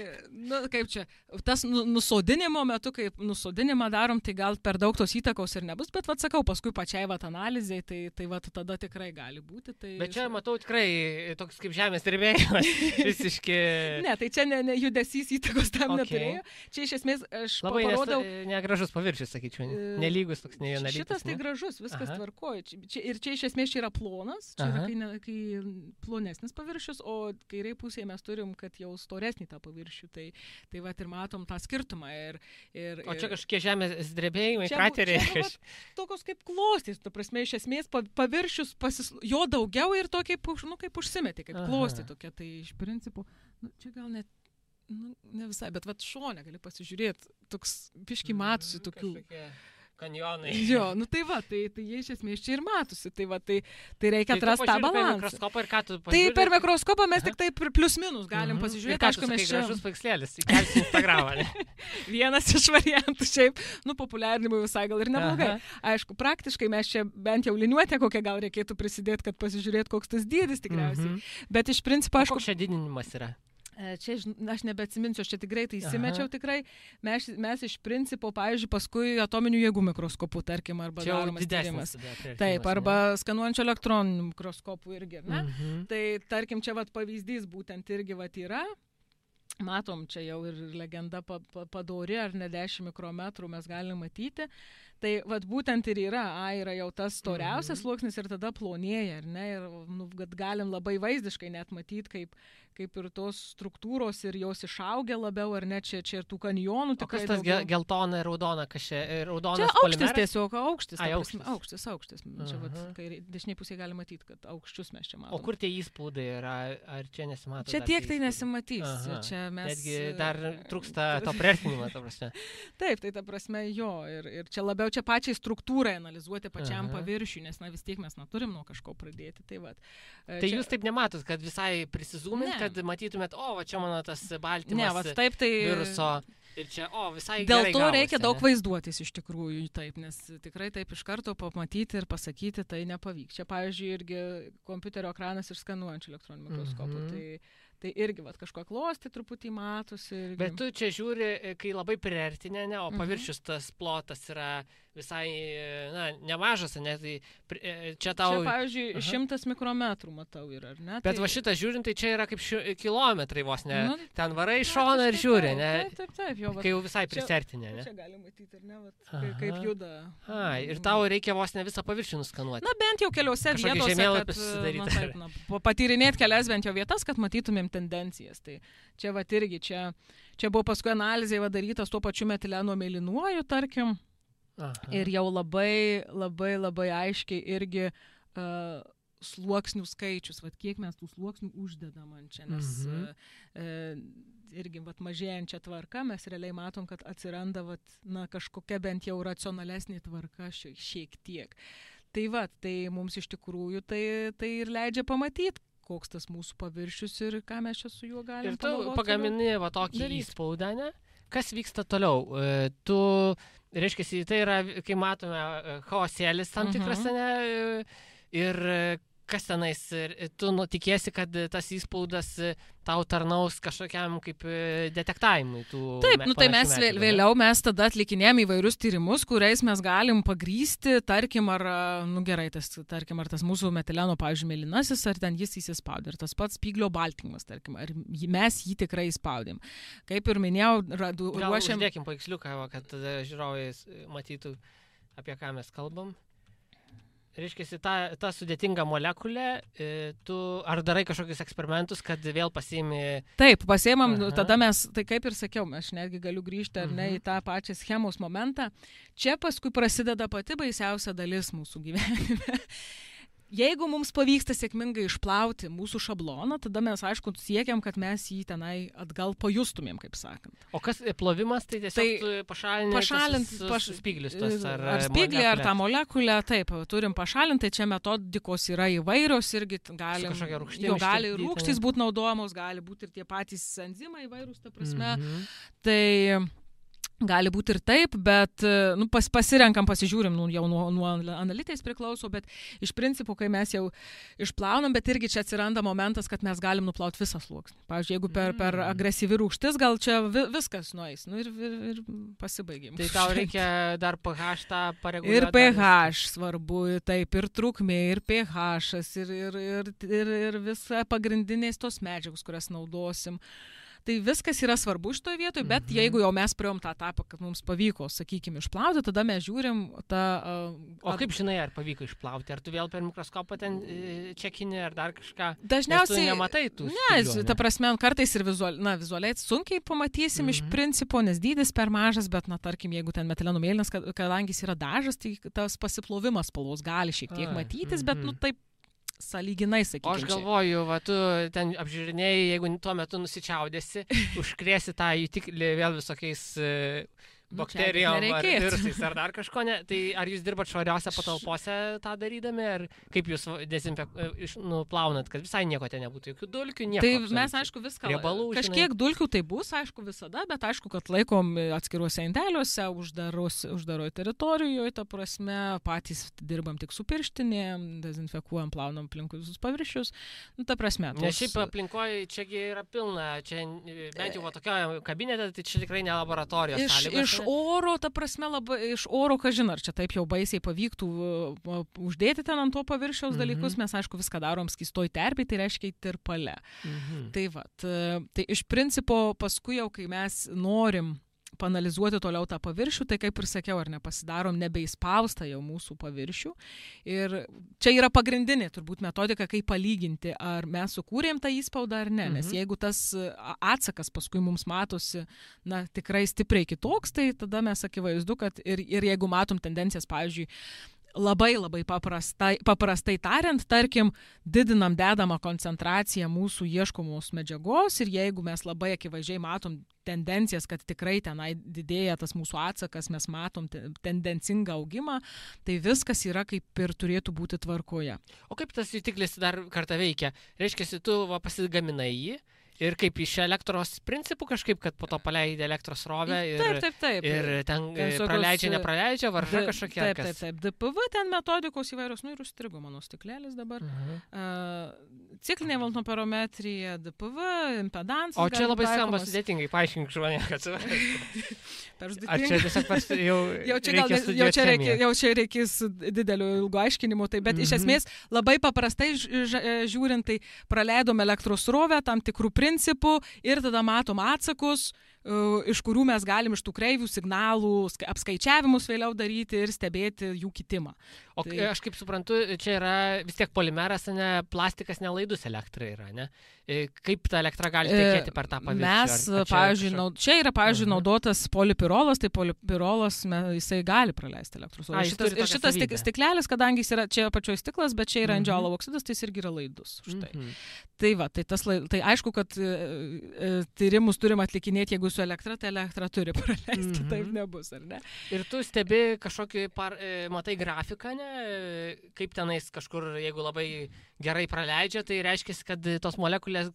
kaip čia, tas nusodinimo metu, kaip nusodinimą darom, tai gal per daug tos įtakos ir nebus, bet sakau, paskui pačiai analizai, tai tada tikrai gali būti. Tai bet čia matau tikrai toks kaip žemės drebėjimas, visiškai. Ne, tai čia ne judesys įtakos tam neturėjo. Čia iš esmės aš parodau. Labai negražus paviršius, sakyčiau, nelygus toks nevienalytis. Šitas tai gražus, viskas tvarkoja. Ir čia iš esmės čia yra plonas, čia yra kai plonesnis paviršius, o kairiai pusėje mes turim, kad jau storesnį tą paviršių. Tai ir matom tą skirtumą. O čia kažkokie žemės drebėjimai, krateriai. Tokios kaip klostys, tu prasme, iš esmės paviršius jo daugiau ir to kaip užsimetė, kaip klostė tokia. Tai iš principo, čia gal net ne visai, bet šone gali pasižiūrėti, toks biški matosi tokių. Kanjonai. Jo, tai jie iš esmės čia ir matosi. Tai reikia atrasti tą balansą. Tai per mikroskopą mes tik taip plius minus galim pasižiūrėti. Ir ką tu sakai, gražus paveikslėlis, įkelsi Instagramą, ne? Vienas iš variantų, šiaip, populiarinimui visai gal ir neblogai. Aišku, praktiškai mes čia bent jau liniuotę kokią gal reikėtų prisidėti, kad pasižiūrėti, koks tas dydis tikriausiai. Bet iš principo, aišku. Koks čia didinimas yra? Čia aš nebeatsiminsiu, aš čia tikrai tai įsimečiau tikrai. Mes iš principo, pavyzdžiui, paskui atominių jėgų mikroskopų, tarkim, arba daromas tyrimas. Taip, arba skanuojančio elektroninių mikroskopų irgi. Tai, tarkim, čia pavyzdys būtent irgi yra. Matom, čia jau ir legenda padori, ar ne 10 mikrometrų mes galime matyti. Tai vat būtent ir yra jau tas storiausias sluoksnis ir tada plonėja, ar ne? Ir kad galim labai vaizdiškai net matyti, kaip ir tos struktūros ir jos išaugia labiau, ar ne, čia ir tų kanjonų. O kas tas geltona ir raudona, kas čia raudonas polimeras? Čia aukštis polimeras? tiesiog, aukštis. Aukštis. Čia vat, kai dešiniai pusėje gali matyti, kad aukščius mes čia matome. O kur tie įspaudai yra, ar čia nesimato? Čia tiek tai nesimatys. Čia mes... Netgi dar trūksta to priartinimo, ta prasme. Taip, tai ta prasme jo. Ir čia labiau čia pačiai struktūrai analizuoti pačiam paviršiui, nes vis tiek mes neturim nuo kažko pradėti. Tai čia... jūs taip nematot, kad visai prisizūmint, kad matytumėt, va čia mano tas baltymas viruso ir čia, visai dėl gerai to gavosi, reikia daug vaizduotis iš tikrųjų, taip, nes tikrai taip iš karto pamatyti ir pasakyti tai nepavyks. Čia, pavyzdžiui, irgi kompiuterio ekranas ir skanuojančių elektroninių mikroskopų. Tai irgi kažko klosti truputį matosi. Irgi. Bet tu čia žiūri, kai labai priartinė, o paviršius tas plotas yra visai, nemažas, ne? Tai čia tau... Čia, pavyzdžiui, 100 mikrometrų matau yra, ar ne? Bet va šitą žiūrint, tai čia yra kaip kilometrai vos, ne? Ten varai šoną ir žiūri, ne? Taip, jo. Kai jau visai prisartinė, ne? Čia gali matyti, ar ne? Kaip juda. Ir tau reikia vos ne visą paviršių nuskanuoti. Na, bent jau keliose vietose, kad patyrinėti kelias bent jau vietas, kad matytumėm tendencijas. Tai čia irgi, čia buvo paskui analizė darytas tuo pačiu metileno mėlynuoju, tarkim. Ir jau labai aiškiai irgi sluoksnių skaičius, kiek mes tų sluoksnių uždedam ant čia, nes irgi mažėjančia tvarka mes realiai matom, kad atsiranda kažkokia bent jau racionalesnė tvarka šiek tiek. Tai mums iš tikrųjų tai ir leidžia pamatyti, koks tas mūsų paviršius ir ką mes čia su juo galim pagalvoti. Ir tu pagamini tokį įspaudą, ne? Kas vyksta toliau? Reiškia, tai yra, kai matome, chaosėlis tam tikras, ne? Ir kas tenais, tu tikėsi, kad tas įspaudas tau tarnaus kažkokiam kaip detektavimui tų... Taip, tai mes vėliau mes tada atlikinėjom įvairius tyrimus, kuriais mes galim pagrysti, tarkim, ar tas mūsų metileno, pavyzdžiui, mėlynasis, ar ten jis įsispaudė, ir tas pats spyglio baltymas, tarkim, ar mes jį tikrai įspaudėm. Kaip ir minėjau, ruošiam... Gal uždėkim paveiksliuką, kad žiūrovai matytų, apie ką mes kalbam. Reiškia, ta sudėtinga molekulė, tu ar darai kažkokius eksperimentus, kad vėl pasiimi... Taip, pasiimam, tada mes, tai kaip ir sakiau, aš netgi galiu grįžti ar ne į tą pačią schemos momentą. Čia paskui prasideda pati baisiausia dalis mūsų gyvenime. Jeigu mums pavyksta sėkmingai išplauti mūsų šabloną, tada mes, aišku, siekiam, kad mes jį tenai atgal pajustumėm, kaip sakant. O kas plovimas, tai tiesiog pašalinti spyglius tos ar spyglį, ar tą molekulę, taip, turim pašalinti, tai čia metodikos yra įvairios, irgi gali rūgštys būti naudojamos, gali būti ir tie patys enzimai įvairūs, ta prasme. Tai... Gali būti ir taip, bet pasirenkam, pasižiūrim, jau nuo analitais priklauso, bet iš principo, kai mes jau išplaunam, bet irgi čia atsiranda momentas, kad mes galim nuplauti visą sluoksnį. Pavyzdžiui, jeigu per agresyvi rūgštis, gal čia viskas nueis, ir pasibaigim. Tai tau reikia dar pH tą pareguliuoti. Ir pH svarbu, taip, ir trukmė, ir pH, ir visa pagrindinės tos medžiagos, kurias naudosim. Tai viskas yra svarbu šitoje vietoje, bet jeigu jau mes priėjom tą etapą, kad mums pavyko, sakykime, išplauti, tada mes žiūrim tą... O kaip žinai, ar pavyko išplauti? Ar tu vėl per mikroskopą ten čekinį, ar dar kažką? Dažniausiai... Tu nematai tų spyglių, ne? Ta prasme, kartais ir vizualiai sunkiai pamatysim iš principo, nes dydis per mažas, bet, tarkim, jeigu ten metileno mėlynas, kadangi jis yra dažas, tai tas pasiplovimas spalvos gali šiek tiek matytis, bet, taip, sąlyginai, sakykime. O aš galvoju, tu ten apžiūrinėjai, jeigu tuo metu nusičiaudėsi, užkrėsi tą jutiklį vėl visokiais bakterijom ar virusais ar dar kažko, ne? Tai ar jūs dirbat švariose patalpose tą darydami, ar kaip jūs plaunat, kad visai nieko ten nebūtų, jokių dulkių, nieko. Tai mes, aišku, viską, kažkiek dulkių tai bus, aišku, visada, bet aišku, kad laikom atskiruose indeliuose, uždaroj teritorijoje, ta prasme, patys dirbam tik su pirštinėm, dezinfekuojam, plaunam aplinkui visus paviršius, ta prasme. Nes šiaip aplinkoje čiagi yra pilna, čia bent jau tokioje kabinete, tai čia tikrai ne laboratorijos sąlygos. Iš oro, ta prasme, iš oro, kažin, ar čia taip jau baisiai pavyktų uždėti ten ant to paviršiaus dalykus, mes, aišku, viską darom skystoj terpėj, tai reiškia tirpale. Tai iš principo, paskui jau, kai mes norim panalizuoti toliau tą paviršių, tai kaip ir sakiau, ar nepasidarom nebeįspaustą jau mūsų paviršių. Ir čia yra pagrindinė turbūt metodika, kaip palyginti, ar mes sukūrėm tą įspaudą ar ne. Nes jeigu tas atsakas paskui mums matosi, na, tikrai stipriai kitoks, tai tada mes akivaizdu, kad ir jeigu matom tendencijas, pavyzdžiui, labai paprastai tariant, tarkim, didinam dedamą koncentraciją mūsų ieškomos medžiagos ir jeigu mes labai akivaizdžiai matom tendencijas, kad tikrai tenai didėja tas mūsų atsakas, mes matom tendencingą augimą, tai viskas yra kaip ir turėtų būti tvarkoje. O kaip tas jutiklis dar kartą veikia? Reiškia, tu pasigaminai jį, ir kaip iš elektros principų kažkaip, kad po to paleidė elektros srovę ir, taip. Ir ten praleidžia, nepraleidžia, varža kažkokia. Taip. DPV ten metodikos įvairios, nu ir užstrigo mano stiklėlis dabar. Ciklinė voltnoperometrija, DPV, impedansas. O čia labai skamba sudėtingai, paaiškink žmonėm, kad ar čia tiesiog jau čia reikės didelio ilgo aiškinimo, tai, bet iš esmės labai paprastai žiūrint, tai praleidom elektros srovę tam tikrų principų ir tada matom atsakus, iš kurių mes galim iš tų kreivių signalų apskaičiavimus vėliau daryti ir stebėti jų kitimą. O aš kaip suprantu, čia yra vis tiek polimeras, ne, plastikas nelaidus elektrai yra, ne? Kaip ta elektra gali tekėti per tą paviršių? Mes, pavyzdžiui, čia yra, pavyzdžiui, naudotas polipirolas, tai polipirolas, jisai gali praleisti elektros. Ir šitas stiklelis, kadangi jis yra čia apačioj stiklas, bet čia yra andželo oksidas, tai jis irgi yra laidus. Štai. Tai va, tai aišku, kad tyrimus turim atlikinėti, jeigu su elektra, tai elektra turi praleisti, kitaip nebus, ar ne? Ir tu stebi kažkokį, matai grafiką, ne? Kaip tenais kažkur, jeigu labai gerai praleidžia, tai reiškia, kad tos molekulės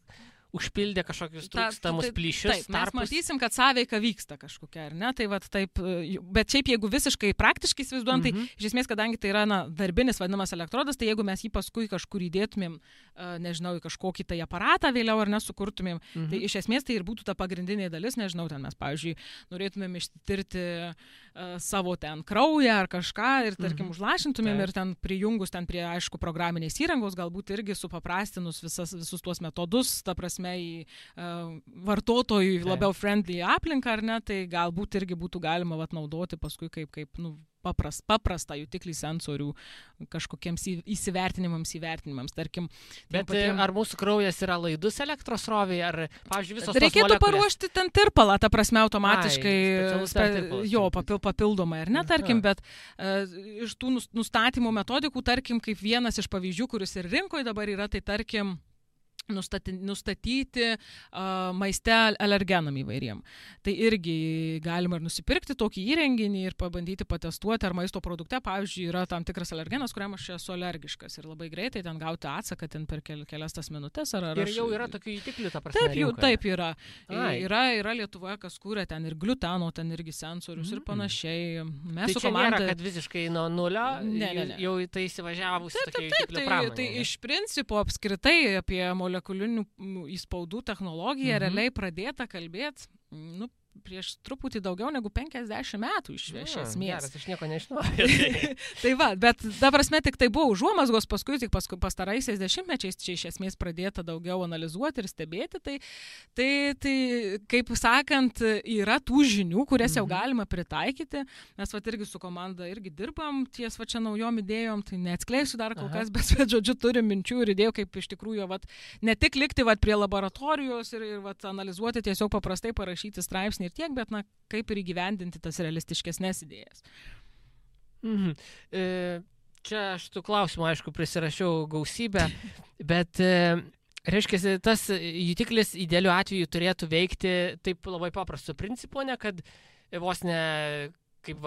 užpildė kažkokius trūkstamus plyšius. Taip, mes matysim, kad sąveika vyksta kažkokia, ar ne? Tai va, taip, bet šiaip jeigu visiškai praktiškai įsivaizduojam, tai iš esmės, kadangi tai yra darbinis vadinamas elektrodas, tai jeigu mes jį paskui kažkur įdėtumėm, nežinau, į kažkokį tai aparatą vėliau ar nesukurtumėm, tai iš esmės tai ir būtų ta pagrindinė dalis, nežinau, ten mes, pavyzdžiui, norėtumėm ištirti savo ten kraują ar kažką ir, tarkim, užlašintumėm ir ten prijungus ten prie, aišku, programinės įrangos, galbūt irgi supaprastinus visus tuos metodus, ta prasme, į vartotojui labiau friendly aplinką, ar ne, tai galbūt irgi būtų galima naudoti paskui kaip paprastą jutiklį sensorių kažkokiems įvertinimams, tarkim. Bet ar mūsų kraujas yra laidus elektros srovei, ar, pavyzdžiui, visos tos reikėtų molekulės? Paruošti ten tirpalą, ta prasme, automatiškai, papildomai, ar ne, tarkim, bet iš tų nustatymo metodikų, tarkim, kaip vienas iš pavyzdžių, kuris ir rinkoje dabar yra, tai tarkim, nustatyti maiste alergenam įvairiem. Tai irgi galima ir nusipirkti tokį įrenginį ir pabandyti patestuoti, ar maisto produkte, pavyzdžiui, yra tam tikras alergenas, kuriam aš esu alergiškas ir labai greitai ten gauti atsaką ten per kelias tas minutės. Ir jau yra tokių jutiklių, ta prasme, rinkoje? Taip yra. Yra Lietuvoje, kas kūrė ten ir gliuteno, ten irgi sensorius ir panašiai. Mes tai čia nėra, kad visiškai nuo nulio, jau tai įsivažiavusi tokia jutiklių pramonė. Tai iš principo apskritai apie molekulinių įspaudų technologiją realiai pradėta kalbėti, prieš truputį daugiau negu 50 metų iš esmės. Geras, aš nieko nežinau. Tai va, bet ta prasme tik tai buvo užuomazgos, paskui tik pastaraisiais dešimtmečiais čia iš esmės pradėta daugiau analizuoti ir stebėti. Tai kaip sakant, yra tų žinių, kurias jau galima pritaikyti. Mes irgi su komanda irgi dirbam ties čia naujom idėjom, tai neatskleisiu dar kol kas, bet žodžiu turim minčių ir idėjų, kaip iš tikrųjų ne tik likti prie laboratorijos ir analizuoti, tiesiog paprastai parašyti straipsnį ir tiek, bet kaip ir įgyvendinti tas realistiškesnės idėjas. Čia aš tų klausimų, aišku, prisirašiau gausybę, bet reiškia, tas jutiklis idealiu atveju turėtų veikti taip labai paprastu principu, ne kad vos ne kaip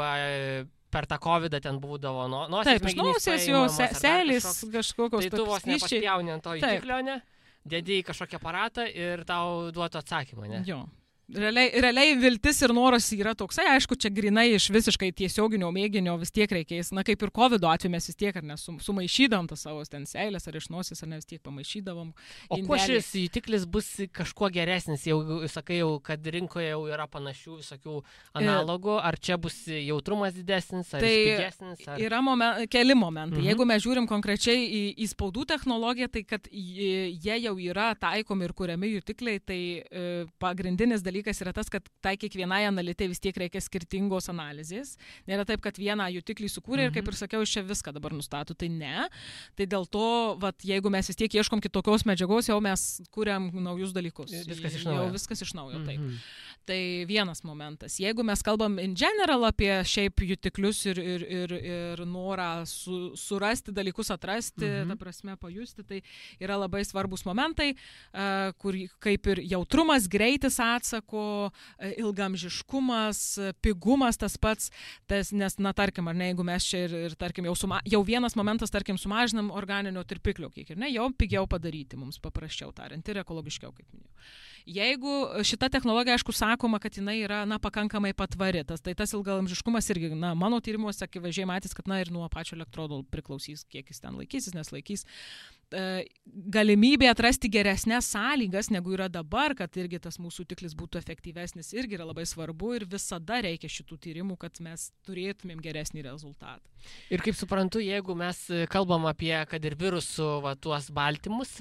per tą COVID ten būdavo nosies mėginys paėmimas, seilės kažkokios. Tai tu vos nepaspjauni ant to jutiklio, ne? Dedi į kažkokį aparatą ir tau duotų atsakymą, ne? Jo. Realiai viltis ir noras yra toksai, aišku, čia grinai iš visiškai tiesioginio mėginio vis tiek reikės, kaip ir COVID atveju mes vis tiek ar sumaišydavom tas savo ten seilės ar iš nosies, ar ne vis tiek pamaišydavom. O kuo šis jutiklis bus kažkuo geresnis, jau sakai, kad rinkoje jau yra panašių visokių analogų, ar čia bus jautrumas didesnis, ar pigesnis? Yra keli momentai. Jeigu mes žiūrim konkrečiai į spaudų technologiją, tai kad jie jau yra taikomi ir kuriami jutikliai, tai pagrindinis dalykas dalykas yra tas, kad tai kiekvienai analitė vis tiek reikia skirtingos analizės. Nėra taip, kad vieną jutiklį sukūrė ir, kaip ir sakiau, čia viską dabar nustato. Tai ne. Tai dėl to, jeigu mes vis tiek ieškom kitokios medžiagos, jau mes kūrėm naujus dalykus. Viskas iš naujo. Jau viskas iš naujo, taip. Tai vienas momentas. Jeigu mes kalbam in general apie šiaip jutiklius ir norą surasti dalykus, atrasti, ta prasme pajusti, tai yra labai svarbus momentai, kur kaip ir jautrumas, greitis atsako, ilgamžiškumas, pigumas tas pats, nes, tarkim, ar ne, jeigu mes čia ir tarkim, jau vienas momentas, tarkim, sumažinam organinio tirpiklio kiekį, ir ne, jau pigiau padaryti mums, paprasčiau tariant, ir ekologiškiau, kaip minėjau. Jeigu šita technologija, aišku, sakoma, kad jinai yra, pakankamai patvari, tai tas ilgaamžiškumas irgi, mano tyrimuose akivaizdžiai matys, kad, ir nuo pačio elektrodo priklausys, kiek jis ten laikysis, neslaikys. Galimybė atrasti geresnės sąlygas, negu yra dabar, kad irgi tas mūsų tiklis būtų efektyvesnis, irgi yra labai svarbu ir visada reikia šitų tyrimų, kad mes turėtumėm geresnį rezultatą. Ir kaip suprantu, jeigu mes kalbam apie, kad ir virusų tuos baltymus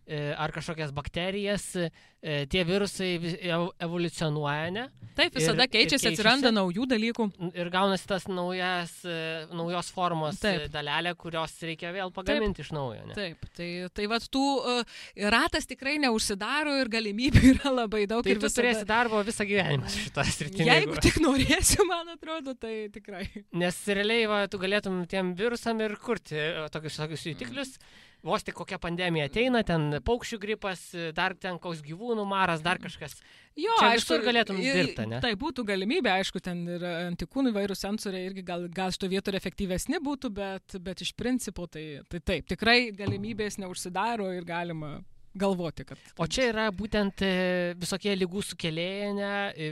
ar kažkokias bakterijas, tie virusai evoliucionuoja, ne? Taip, visada keičiasi, atsiranda naujų dalykų. Ir gaunasi tas naujos formos dalelė, kurios reikia vėl pagaminti iš naujo, ne? Taip. Tai ratas tikrai neužsidaro ir galimybių yra labai daug. Tai tu turėsi darbo visą gyvenimą šitą sritį. Jeigu tik norėsiu, man atrodo, tai tikrai. Nes realiai tu galėtum tiem virusam ir kurti tokius jutiklius. Vos tik kokia pandemija ateina, ten paukščių gripas, dar ten koks gyvūnų maras, dar kažkas. Jo, čia visur galėtum dirbti, ne? Tai būtų galimybė, aišku, ten ir antikūnų įvairių sensoriai irgi gal šito vietų efektyvesni būtų, bet iš principo tai taip, tikrai galimybės neužsidaro ir galima galvoti, kad... O čia yra būtent visokie ligų sukėlėjai, ne?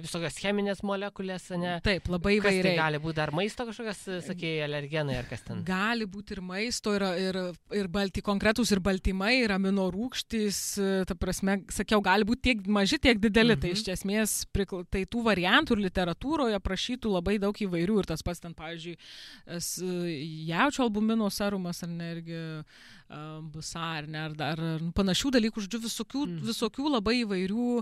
Visokios cheminės molekulės, ne? Taip, labai įvairiai. Kas tai gali būti dar maisto kažkokios, sakėjai, alergenai ar kas ten? Gali būti ir maisto, ir konkretūs ir baltymai, ir aminorūgštys, ta prasme, sakiau, gali būti tiek maži, tiek dideli. Tai iš esmės, tai tų variantų ir literatūroje prašytų labai daug įvairių. Ir tas pats ten, pavyzdžiui, jaučio albumino serumas, ar ne, irgi busar, ne, ar dar panašių dalykų, žodžiu, visokių labai įvairių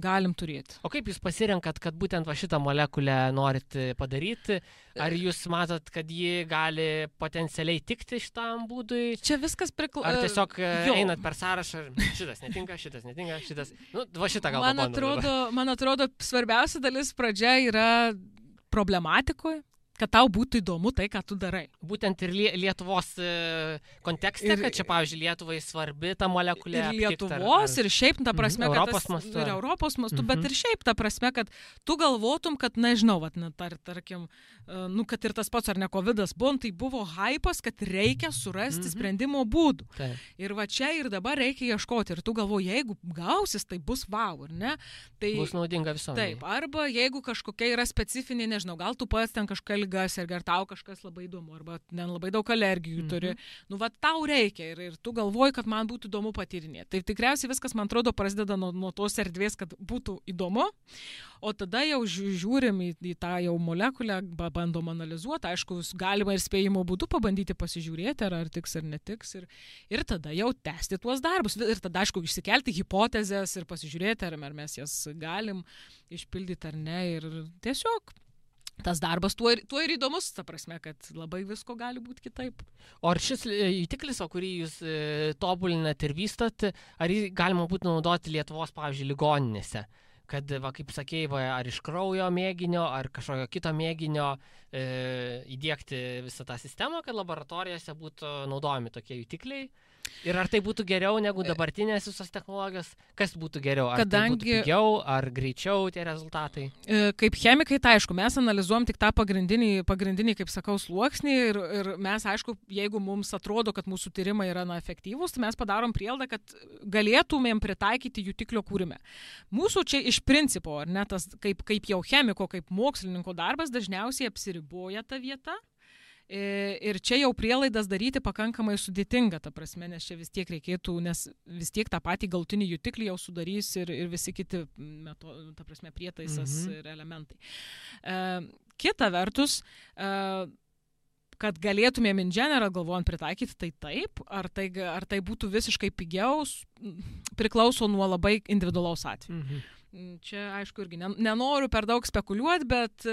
galim turėti. O kaip jūs pasirenkat, kad būtent šitą molekulę norit padaryti? Ar jūs matot, kad ji gali potencialiai tikti šitam būdui? Čia viskas Ar tiesiog einat per sąrašą, šitas netinka, šitas. Šitą gal pabandom. Man atrodo, svarbiausia dalis pradžia yra problematikoje, kad tau būtų įdomu tai, ką tu darai. Būtent ir Lietuvos kontekste, kad čia, pavyzdžiui, Lietuvai svarbi ta molekulė. Ir Lietuvos, ir šiaip, ta prasme, Europos mastu. Ir Europos mastu, bet ir šiaip, ta prasme, kad tu galvotum, kad, nežinau, tarkim, kad ir tas pats ar ne COVID-as buvo, tai buvo hypas, kad reikia surasti sprendimo būdų. Ir čia ir dabar reikia ieškoti. Ir tu galvoji, jeigu gausis, tai bus wow, ar ne? Tai, bus naudinga visuomenei. Taip, arba jeigu kažkokia yra specifinė, nežinau, gal tu pats ten kažką ligas ir tau kažkas labai įdomu, arba labai daug alergijų turi. Tau reikia ir tu galvoji, kad man būtų įdomu patyrinėti. Tai tikriausiai viskas, man atrodo, prasideda nuo tos erdvės, kad būtų įdomu, o tada jau žiūrim į tą jau molekulę, bandom analizuoti, aišku, galima ir spėjimo būdu pabandyti pasižiūrėti, ar tiks ar netiks, ir tada jau tęsti tuos darbus. Ir tada, aišku, išsikelti hipotezes ir pasižiūrėti, ar mes jas galim išpildyti ar ne, ir tiesiog tas darbas tuo ir įdomus, ta prasme, kad labai visko gali būti kitaip. O ar šis jutiklis, kurį jūs tobulinat ir vystot, ar jį galima būtų naudoti Lietuvos, pavyzdžiui, ligoninėse? Kad, kaip sakėjai, ar iš kraujo mėginio, ar kažkokio kito mėginio įdiegti visą tą sistemą, kad laboratorijose būtų naudojami tokie jutikliai? Ir ar tai būtų geriau negu dabartinės visos technologijos? Kas būtų geriau? Ar tai būtų pigiau, ar greičiau tie rezultatai? Kaip chemikai, tai aišku, mes analizuojam tik tą pagrindinį, kaip sakau, sluoksnį ir mes, aišku, jeigu mums atrodo, kad mūsų tyrimai yra efektyvūs, tai mes padarom prielaidą, kad galėtumėm pritaikyti jutiklio kūrime. Mūsų čia iš principo, ar ne, tas kaip jau chemiko, kaip mokslininko darbas dažniausiai apsiriboja ta vieta. Ir čia jau prielaidas daryti pakankamai sudėtinga, ta prasme, nes čia vis tiek reikėtų, nes vis tiek tą patį galutinį jutiklį jau sudarys ir visi kiti, ta prasme, prietaisas ir elementai. Kita vertus, kad galėtumėm in general galvojant pritaikyti, tai taip, ar tai būtų visiškai pigiau, priklauso nuo labai individualaus atveju. Čia, aišku, irgi nenoriu per daug spekuliuoti, bet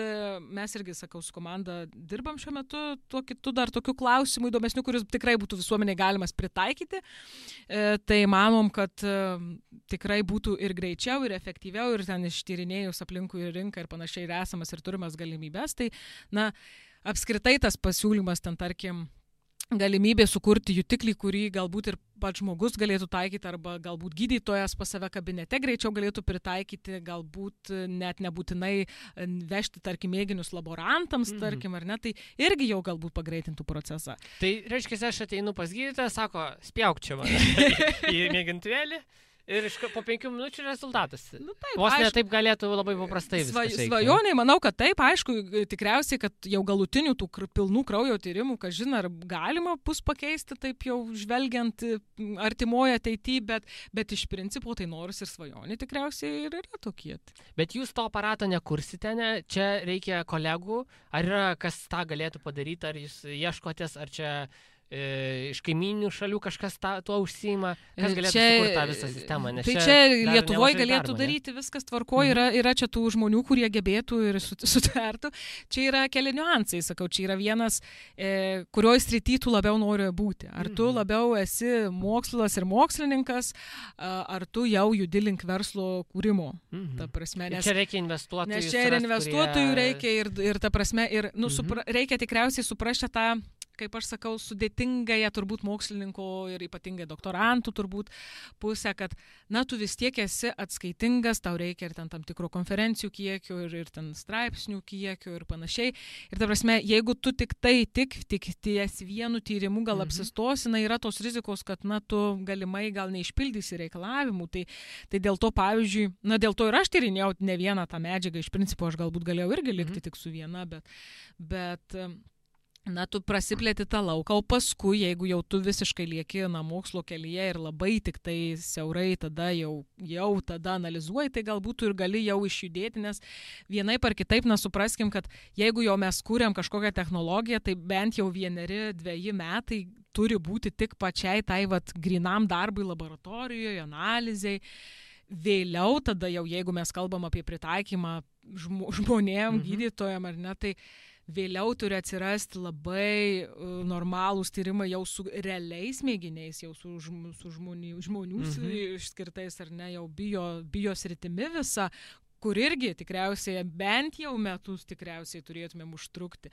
mes irgi, sakau, su komanda dirbam šiuo metu tuo kitu dar tokių klausimų įdomesnių, kuris tikrai būtų visuomeniai galimas pritaikyti. Tai manom, kad tikrai būtų ir greičiau, ir efektyviau, ir ten ištyrinėjus aplinkui ir rinką ir panašiai ir esamas ir turimas galimybės. Tai, na, apskritai tas pasiūlymas ten, tarkim, galimybė sukurti jutiklį, kurį galbūt ir pats žmogus galėtų taikyti, arba galbūt gydytojas pas save kabinete greičiau galėtų pritaikyti, galbūt net nebūtinai vežti, tarkim, mėginius laborantams, tarkim, ar ne, tai irgi jau galbūt pagreitintų procesą. Tai reiškia, aš ateinu pas gydytoją, sako, spjauk čia man į mėgintuvėlį. Ir po 5 minučių rezultatas. Nu, taip, vos ne taip galėtų labai paprastai viskas. Svajoniai, manau, kad taip, aišku, tikriausiai, kad jau galutinių tų pilnų kraujo tyrimų, kažin ar galima bus pakeisti, taip jau žvelgiant artimoje ateityje, bet iš principo tai nors ir svajoniai tikriausiai ir yra tokie. Bet jūs to aparato nekursite, ne? Čia reikia kolegų, ar yra kas tą galėtų padaryti, ar jūs ieškotės, ar čia iš kaiminių šalių kažkas tuo užsiima, kas galėtų sukurti tą visą sistemą. Nes tai čia Lietuvoje galėtų daryti viskas tvarkoje, yra čia tų žmonių, kurie gebėtų ir sutvertų. Čia yra keli niuansai, sakau, čia yra vienas, kurioje srity tu labiau nori būti. Ar tu labiau esi mokslas ir mokslininkas, ar tu jau judi link verslo kūrimo. Ta prasme, nes čia reikia investuotojų. Nes čia ir investuotojų reikia ir ta prasme, ir reikia tikriausiai suprasti tą, kaip aš sakau, sudėtingąją turbūt mokslininko ir ypatingai doktorantų turbūt pusę, kad, na, tu vis tiek esi atskaitingas, tau reikia ir ten tam tikro konferencijų kiekio ir ten straipsnių kiekio ir panašiai. Ir ta prasme, jeigu tu tik ties vienu tyrimu gal apsistosi, na, yra tos rizikos, kad, na, tu galimai gal neišpildysi reikalavimų. Tai dėl to, pavyzdžiui, na, dėl to ir aš tyrinėjau ne vieną tą medžiagą, iš principo aš galbūt galėjau irgi likti tik su viena, bet na, tu prasiplėti tą lauką, o paskui, jeigu jau tu visiškai lieki, na, mokslo kelyje ir labai tik tai siaurai tada jau tada analizuoji, tai galbūt tu ir gali jau išjudėti, nes vienaip ar kitaip, na, supraskim, kad jeigu jau mes kūrėm kažkokią technologiją, tai bent jau 1-2 metai turi būti tik pačiai tai, grinam darbui laboratorijoje, analizai. Vėliau tada jau, jeigu mes kalbam apie pritaikymą žmonėm, gydytojam ar ne, tai vėliau turi atsirasti labai normalūs tyrimai jau su realiais mėginiais, jau su žmonių išskirtais ar ne, jau biosritimi visa, kur irgi tikriausiai bent jau metus tikriausiai turėtumėm užtrukti.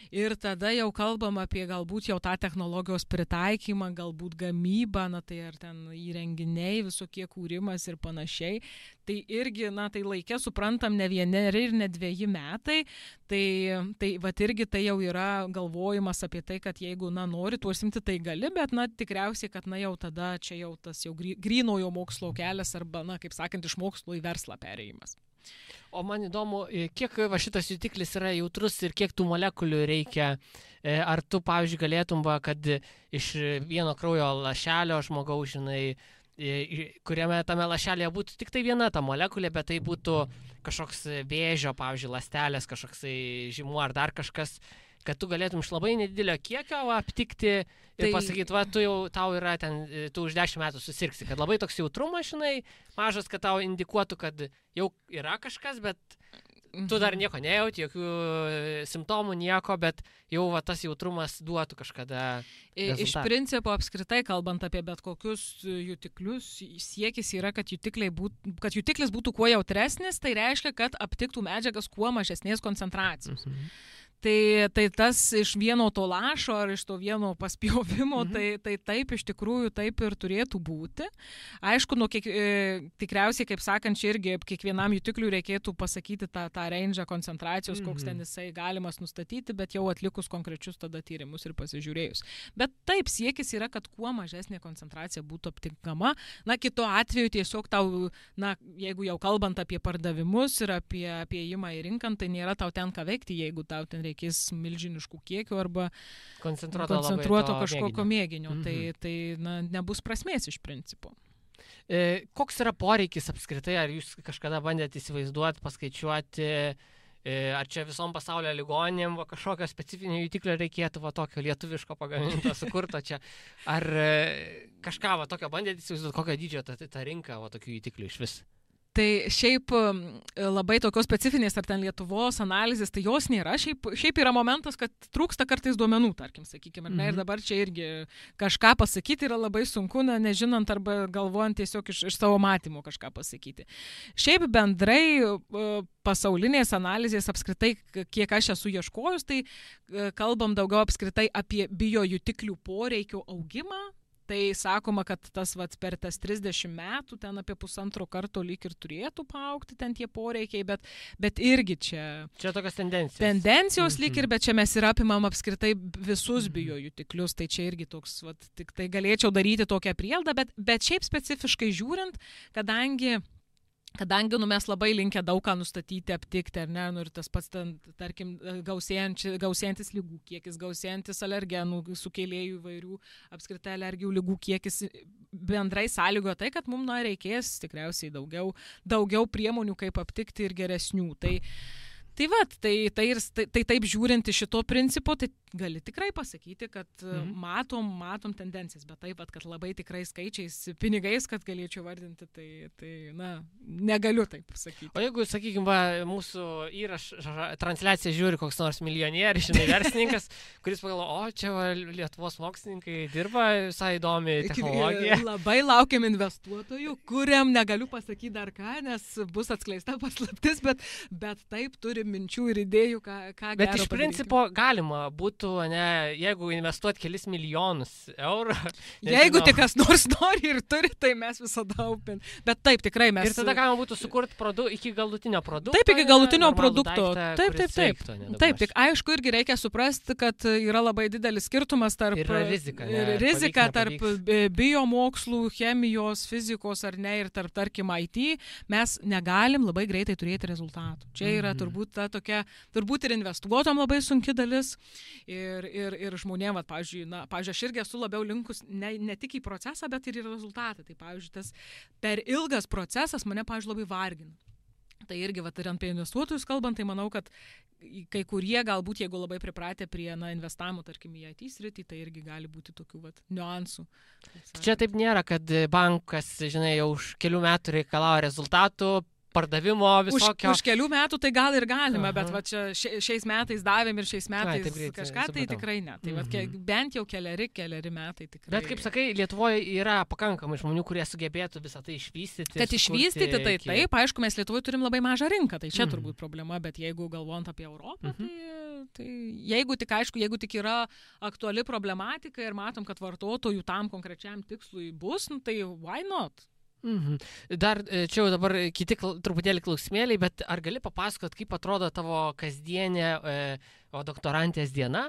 Ir tada jau kalbam apie galbūt jau tą technologijos pritaikymą, galbūt gamybą, na tai ar ten įrenginiai, visokie kūrimas ir panašiai. Tai irgi, na tai laikė suprantam ne 1 ir ne 2 metai, tai irgi tai jau yra galvojimas apie tai, kad jeigu, na, nori tuo užsimti, tai gali, bet, na, tikriausiai, kad, na, jau tada čia jau tas jau grynojo mokslo kelias arba, na, kaip sakant, iš mokslo į verslą perėjimas. O man įdomu, kiek šitas jutiklis yra jautrus ir kiek tų molekulių reikia. Ar tu, pavyzdžiui, galėtum, kad iš vieno kraujo lašelio žmogaus, žinai, kuriame tame lašelėje būtų tik tai viena ta molekulė, bet tai būtų kažkoks vėžio, pavyzdžiui, ląstelės, kažkoks žymuo ar dar kažkas, kad tu galėtum iš labai nedidelio kiekio aptikti ir pasakyti, tau yra ten, tu už 10 metų susirgsi, kad labai toks jautrumas, žinai, mažas, kad tau indikuotų, kad jau yra kažkas, bet tu dar nieko nejauti, jokių simptomų, nieko, bet jau tas jautrumas duotų kažkada rezultatą. Iš principo, apskritai, kalbant apie bet kokius jutiklius, siekis yra, kad jutiklis būtų kuo jautresnis, tai reiškia, kad aptiktų medžiagas kuo mažesnės koncentracijos. Tai tas iš vieno to lašo ar iš to vieno paspjovimo, tai taip iš tikrųjų taip ir turėtų būti. Aišku, tikriausiai, kaip sakant, čia irgi kiekvienam jutikliui reikėtų pasakyti tą range koncentracijos, koks ten jisai galimas nustatyti, bet jau atlikus konkrečius tada tyrimus ir pasižiūrėjus. Bet taip, siekis yra, kad kuo mažesnė koncentracija būtų aptinkama. Na, kitu atveju tiesiog tau, na, jeigu jau kalbant apie pardavimus ir apie įėjimą į rinką, tai nėra tau ten ką veikti, jeigu tau ten reikės milžiniškų kiekių arba koncentruoto kažkokio mėginio. Tai na, nebus prasmės iš principo. Koks yra poreikis apskritai? Ar jūs kažkada bandėte įsivaizduoti, paskaičiuoti, ar čia visom pasaulio ligoninėm kažkokio specifinio jutiklio reikėtų, tokio lietuviško pagaminto, sukurto čia? Ar kažką tokio bandėte įsivaizduoti, kokio dydžio ta rinka tokių jutiklių iš vis? Tai šiaip labai tokios specifinės ar ten Lietuvos analizės, tai jos nėra. Šiaip yra momentas, kad trūksta kartais duomenų, tarkim, sakykime. Ir dabar čia irgi kažką pasakyti yra labai sunku, nežinant arba galvojant tiesiog iš savo matymo kažką pasakyti. Šiaip bendrai pasaulinės analizės apskritai, kiek aš esu ieškojus, tai kalbam daugiau apskritai apie biojutiklių poreikio augimą. Tai sakoma, kad per tas 30 metų ten apie 1,5 karto lyg ir turėtų paaugti ten tie poreikiai, bet irgi čia... Čia tokios tendencijos. Tendencijos lyg ir, bet čia mes ir apimam apskritai visus biojutiklius, tai čia irgi toks, tik tai galėčiau daryti tokią prielaidą, bet šiaip specifiškai žiūrint, kadangi mes labai linkę daug ką nustatyti, aptikti, ar ne, ir tas pats, tarkim, gausėjantis lygų kiekis, gausėjantis alergenų, sukėlėjų įvairių, apskritai alergijų lygų kiekis, bendrai sąlygoja tai, kad mums reikės tikriausiai daugiau priemonių, kaip aptikti ir geresnių. Tai taip žiūrint iš šito principo, tai gali tikrai pasakyti, kad matom tendencijas, bet taip, kad labai tikrai skaičiais, pinigais, kad galėčiau vardinti, tai negaliu taip sakyti. O jeigu, sakykime, mūsų transliaciją žiūri koks nors milijonierius, verslininkas, kuris pagalvoja, čia Lietuvos mokslininkai dirba, visai įdomi technologija. Labai laukiam investuotojų, kuriam negaliu pasakyti dar ką, nes bus atskleista paslaptis, bet taip turi minčių ir idėjų, ką gero Bet iš padaryti. principo galima būtų, jeigu investuoti kelis milijonus eurų. Jeigu tik kas nors nori ir turi, tai mes visada upin. Bet taip, tikrai mes... Ir tada galima būtų sukurti iki galutinio produkto. Taip, iki galutinio produkto. Taip. Taip, tik aišku irgi reikia suprasti, kad yra labai didelis skirtumas tarp... Yra rizika. Rizika tarp biomokslų, chemijos, fizikos ar ne, ir tarp, tarkim, IT. Mes negalim labai greitai turėti rezultatų. Čia yra turbūt ta tokia, turbūt ir investuotom labai sunki dalis ir žmonėm, pavyzdžiui, aš irgi esu labiau linkus ne tik į procesą, bet ir į rezultatą. Tai, pavyzdžiui, tas per ilgas procesas mane, pavyzdžiui, labai vargina. Tai irgi, ir apie investuotojus kalbant, tai manau, kad kai kurie galbūt, jeigu labai pripratę prie investavimo, tarkim, į IT sritį, tai irgi gali būti tokių niuansų. Čia taip nėra, kad bankas, žinai, jau už kelių metų reikalauja rezultatų, pardavimo visokio. Už kelių metų tai gal ir galima, bet čia šiais metais davėm ir šiais metais kažką, tai tikrai ne. Tai bent jau keleri metai tikrai. Bet kaip sakai, Lietuvoje yra pakankamai žmonių, kurie sugebėtų visą tai išvystyti. Kad išvystyti, tai taip, aišku, mes Lietuvoje turim labai mažą rinką, tai čia turbūt problema, bet jeigu galvojant apie Europą, tai jeigu tik yra aktuali problematika ir matom, kad vartotojų tam konkrečiam tikslui bus, tai why not? Dar čia jau dabar kiti truputėlį klausimėliai, bet ar gali papasakot, kaip atrodo tavo kasdienė doktorantės diena?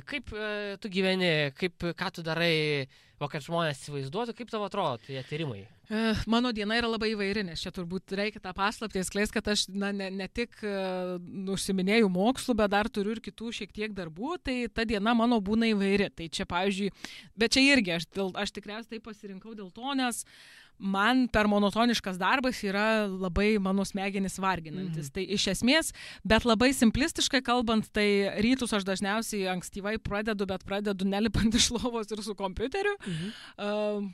Kaip tu gyveni, ką tu darai, kad žmonės įsivaizduotų, kaip tavo atrodo tie tyrimai? Mano diena yra labai įvairi, nes čia turbūt reikia tą paslaptį skleist, kad aš ne tik užsiminėjau mokslu, bet dar turiu ir kitų šiek tiek darbų, tai ta diena mano būna įvairi. Tai čia, pavyzdžiui, bet čia irgi aš tikriausiai tai pasirinkau dėl to, nes man per monotoniškas darbas yra labai mano smegenis varginantis. Tai iš esmės, bet labai simplistiškai kalbant, tai rytus aš dažniausiai ankstyvai pradedu nelipant iš lovos ir su kompiuteriu.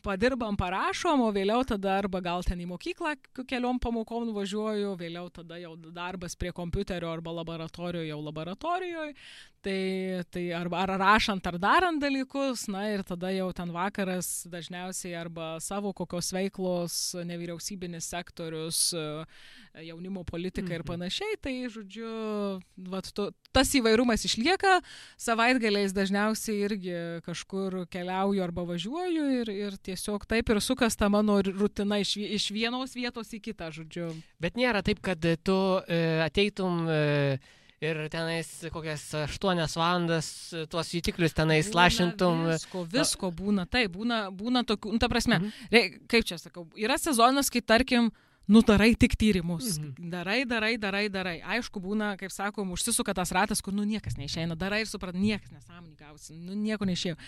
Padirbam, parašom, o vėliau tada arba gal ten į mokyklą keliom pamokom nuvažiuoju, vėliau tada jau darbas prie kompiuterio arba laboratorijoje. Tai arba rašant ar darant dalykus, ir tada jau ten vakaras dažniausiai arba savo kokios veiklos, nevyriausybinis sektorius, jaunimo politika ir panašiai. Tai, žodžiu, tas įvairumas išlieka, savaitgaliais dažniausiai irgi kažkur keliauju arba važiuoju ir tiesiog taip ir sukas ta mano rutina iš vienos vietos į kitą, žodžiu. Bet nėra taip, kad tu ateitum ir tenais kokias 8 valandas tuos jutiklius tenais lašintum. Visko būna, taip, būna tokių, ta prasme, kaip čia sakau, yra sezonas, kai tarkim, darai tik tyrimus, darai. Aišku, būna, kaip sakom, užsisuka tas ratas, kur, niekas neišeina, darai ir suprat, niekas nesąmonį gausi, nieko neišėjo.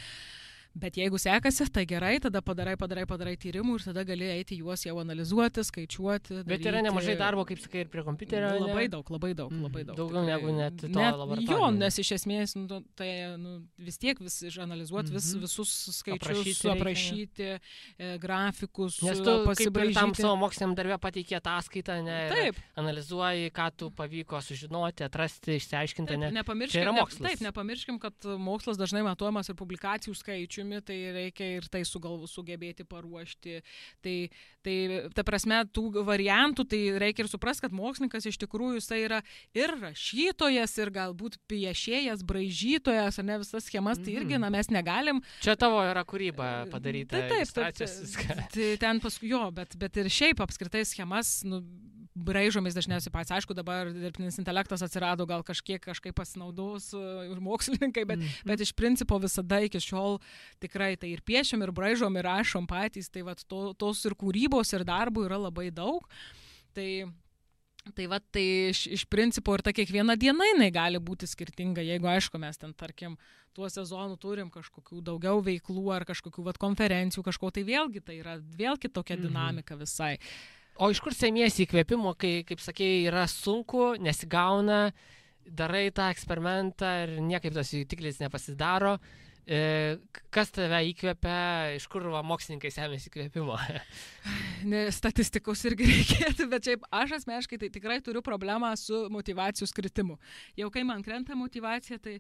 Bet jeigu sekasi, tai gerai, tada padarai tyrimų ir tada gali eiti juos jau analizuoti, skaičiuoti. Bet yra nemažai darbo, kaip sakai, ir prie kompiuterio. Labai daug. Daugiau negu net to laboratorijoje. Jo, nes iš esmės, tai vis tiek išanalizuoti visus skaičius, aprašyti, grafikus, nes tu kaip ir tam pasibraižyti. savo moksliniam darbė pateikė ataskaitą, Taip. analizuoji, ką tu pavyko sužinoti, atrasti, išsiaiškinti. Čia yra mokslas. Taip, nepamirškim, kad mokslas dažnai matuojamas ir publikacijų skaičiumi, tai reikia ir tai sugebėti paruošti. Tai ta prasme, tų variantų, tai reikia ir suprasti, kad mokslininkas iš tikrųjų jisai yra ir rašytojas, ir galbūt piešėjas, braižytojas, ar ne visas schemas, tai irgi, mes negalim. Čia tavo yra kūryba padaryta. Tai ten paskui jo, bet ir šiaip apskritai schemas, braižomis dažniausiai pats. Aišku, dabar dirbtinis intelektas atsirado, gal kažkaip pasinaudos ir mokslininkai, bet iš principo visada iki šiol tikrai tai ir piešiam, ir braižom, ir rašom patys, tai vat tos ir kūrybos, ir darbų yra labai daug. Tai iš principo ir ta kiekviena diena jinai gali būti skirtinga, jeigu aišku mes ten, tarkim, tuo sezonu turim kažkokių daugiau veiklų ar kažkokių konferencijų, kažko, tai vėlgi tai yra vėl kitokia dinamika visai. O iš kur semiesi įkvėpimo, kai, kaip sakėjai, yra sunku, nesigauna, darai tą eksperimentą ir niekaip tas jutiklis nepasidaro. Kas tave įkvėpia, iš kur mokslininkai semiasi įkvėpimo? Statistikos irgi reikėtų, bet šiaip aš asmeniškai tai tikrai turiu problemą su motyvacijos kritimu. Jau kai man krenta motyvacija, tai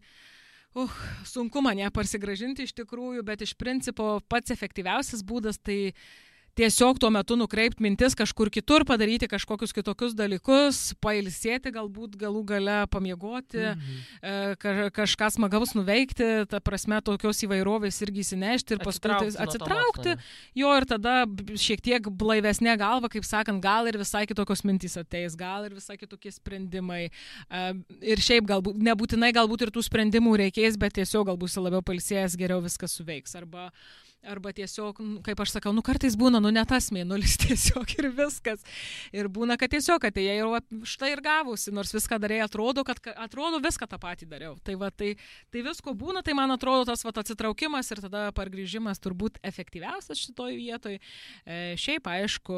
sunku man ją parsigrąžinti iš tikrųjų, bet iš principo pats efektyviausias būdas tai tiesiog tuo metu nukreipti mintis kažkur kitur, padaryti kažkokius kitokius dalykus, pailsėti, galbūt galų gale pamiegoti, kažką smagaus nuveikti, ta prasme tokios įvairovės irgi įsinešti ir paskui atsitraukti. Jo, ir tada šiek tiek blaivesnė galva, kaip sakant, gal ir visai kitokios mintys ateis, gal ir visai kitokie sprendimai. Ir šiaip galbūt, nebūtinai galbūt ir tų sprendimų reikės, bet tiesiog galbūt labiau pailsėjęs geriau viskas suveiks. Arba tiesiog, kaip aš sakau, kartais būna, ne tas mėnulis tiesiog ir viskas. Ir būna, kad tiesiog atėjai ir štai ir gavusi, nors viską darėjai, atrodo viską tą patį dariau. Tai visko būna, tai man atrodo tas atsitraukimas ir tada pargrįžimas turbūt efektyviausias šitoj vietoj. Šiaip, aišku,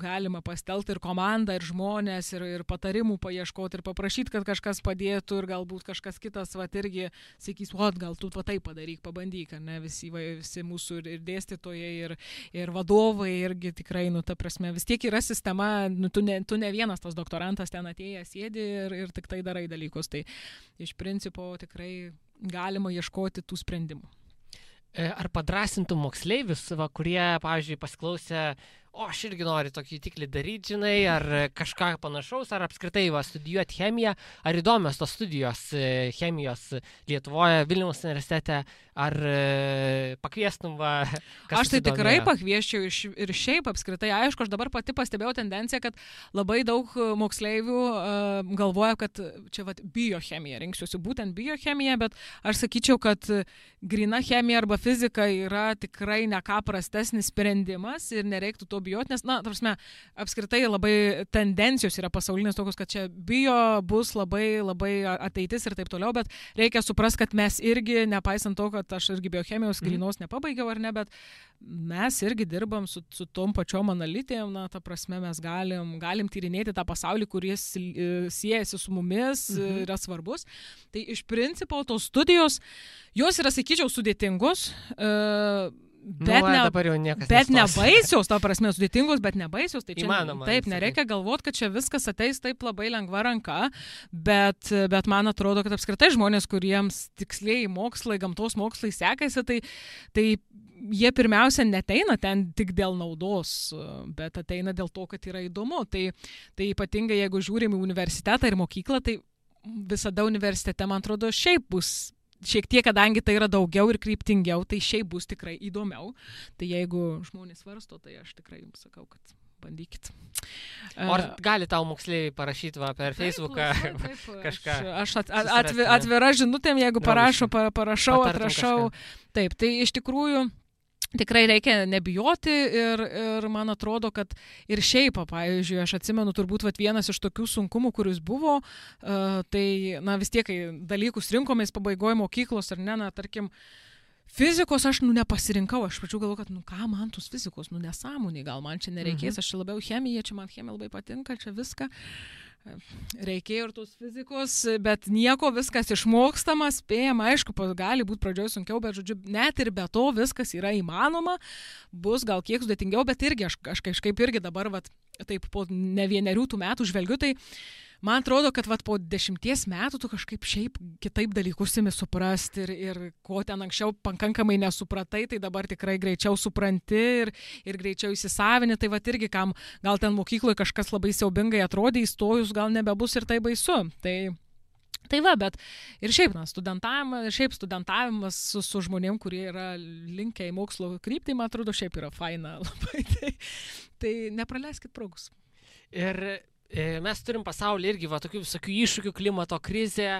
galima pastelti ir komandą, ir žmonės, ir patarimų paieškoti, ir paprašyti, kad kažkas padėtų, ir galbūt kažkas kitas irgi sakys, gal tu tai padaryk, pabandyk, ne, visi mūsų ir dėstytojai, ir vadovai irgi tikrai, ta prasme, vis tiek yra sistema, tu ne vienas tas doktorantas ten atėjęs sėdi ir tik tai darai dalykus. Tai iš principo tikrai galima ieškoti tų sprendimų. Ar padrasintų moksleivius, kurie, pavyzdžiui, pasiklausė, aš irgi noriu tokį tiklį daryti, žinai, ar kažką panašaus, ar apskritai studijuoti chemiją, ar įdomios tos studijos chemijos Lietuvoje, Vilniaus universitete, ar pakviestum Aš tai tikrai pakviesčiau ir šiaip apskritai, aišku, aš dabar pati pastebėjau tendenciją, kad labai daug moksleivių galvoja, kad čia biochemija, rinksiuosi būtent biochemiją, bet aš sakyčiau, kad gryna chemija arba fizika yra tikrai ne ką prastesnis sprendimas ir nereiktų to bijoti, nes, ta prasme, apskritai labai tendencijos yra pasaulinės tokios, kad čia bio bus labai, labai ateitis ir taip toliau, bet reikia suprasti, kad mes irgi, nepaisant to, kad aš irgi biochemijos grynos nepabaigiau ar ne, bet mes irgi dirbam su tom pačiom analitėm, ta prasme, mes galim tyrinėti tą pasaulį, kuris siejasi su mumis, yra svarbus. Tai iš principo tos studijos, jos yra, sakyčiau, sudėtingos, bet nebaisios, ta prasme, sudėtingos, bet nebaisios, tai čia įmanoma, taip, nereikia galvoti, kad čia viskas ateis taip labai lengva ranka, bet man atrodo, kad apskritai žmonės, kuriems tiksliai mokslai, gamtos mokslai sekasi, tai jie pirmiausia neteina ten tik dėl naudos, bet ateina dėl to, kad yra įdomu. Tai ypatingai, jeigu žiūrim į universitetą ir mokyklą, tai visada universitete, man atrodo, šiaip bus šiek tiek, kadangi tai yra daugiau ir kryptingiau, tai šiaip bus tikrai įdomiau. Tai jeigu žmonės svarsto, tai aš tikrai jums sakau, kad bandykit. Ar gali tau moksleiviai parašyti per Facebooką kažką? Aš atvira žinutėm, jeigu parašau, atrašau. Taip, tai iš tikrųjų tikrai reikia nebijoti ir man atrodo, kad ir šiaip, pavyzdžiui, aš atsimenu turbūt vienas iš tokių sunkumų, kuris buvo, tai vis tiek, kai dalykus rinkomės pabaigoje mokyklos ar ne, tarkim, Fizikos aš, nepasirinkau, aš pačiu galvoju, kad, ką man tos fizikos, nesąmoniai, gal man čia nereikės, aš čia labiau chemija, čia man chemija labai patinka, čia viską. Reikėjo ir tos fizikos, bet nieko, viskas išmokstama, spėjama, aišku, gali būti pradžioje sunkiau, bet, žodžiu, net ir be to viskas yra įmanoma, bus gal kiek sudėtingiau, bet irgi aš kažkaip irgi dabar, taip po ne 1 metų žvelgiu, tai man atrodo, kad po 10 metų tu kažkaip šiaip kitaip dalykus imi suprasti ir ko ten anksčiau pakankamai nesupratai, tai dabar tikrai greičiau supranti ir greičiau įsisavini, tai irgi kam gal ten mokykloje kažkas labai siaubingai atrodė, įstojus gal nebebus ir tai baisu. Tai bet ir šiaip, studentavimas su žmonėm, kurie yra linkę į mokslo kryptį, man atrodo, šiaip yra faina labai, tai nepraleiskit progos. Ir mes turim pasaulyje irgi tokių visokių iššūkių, klimato krizė,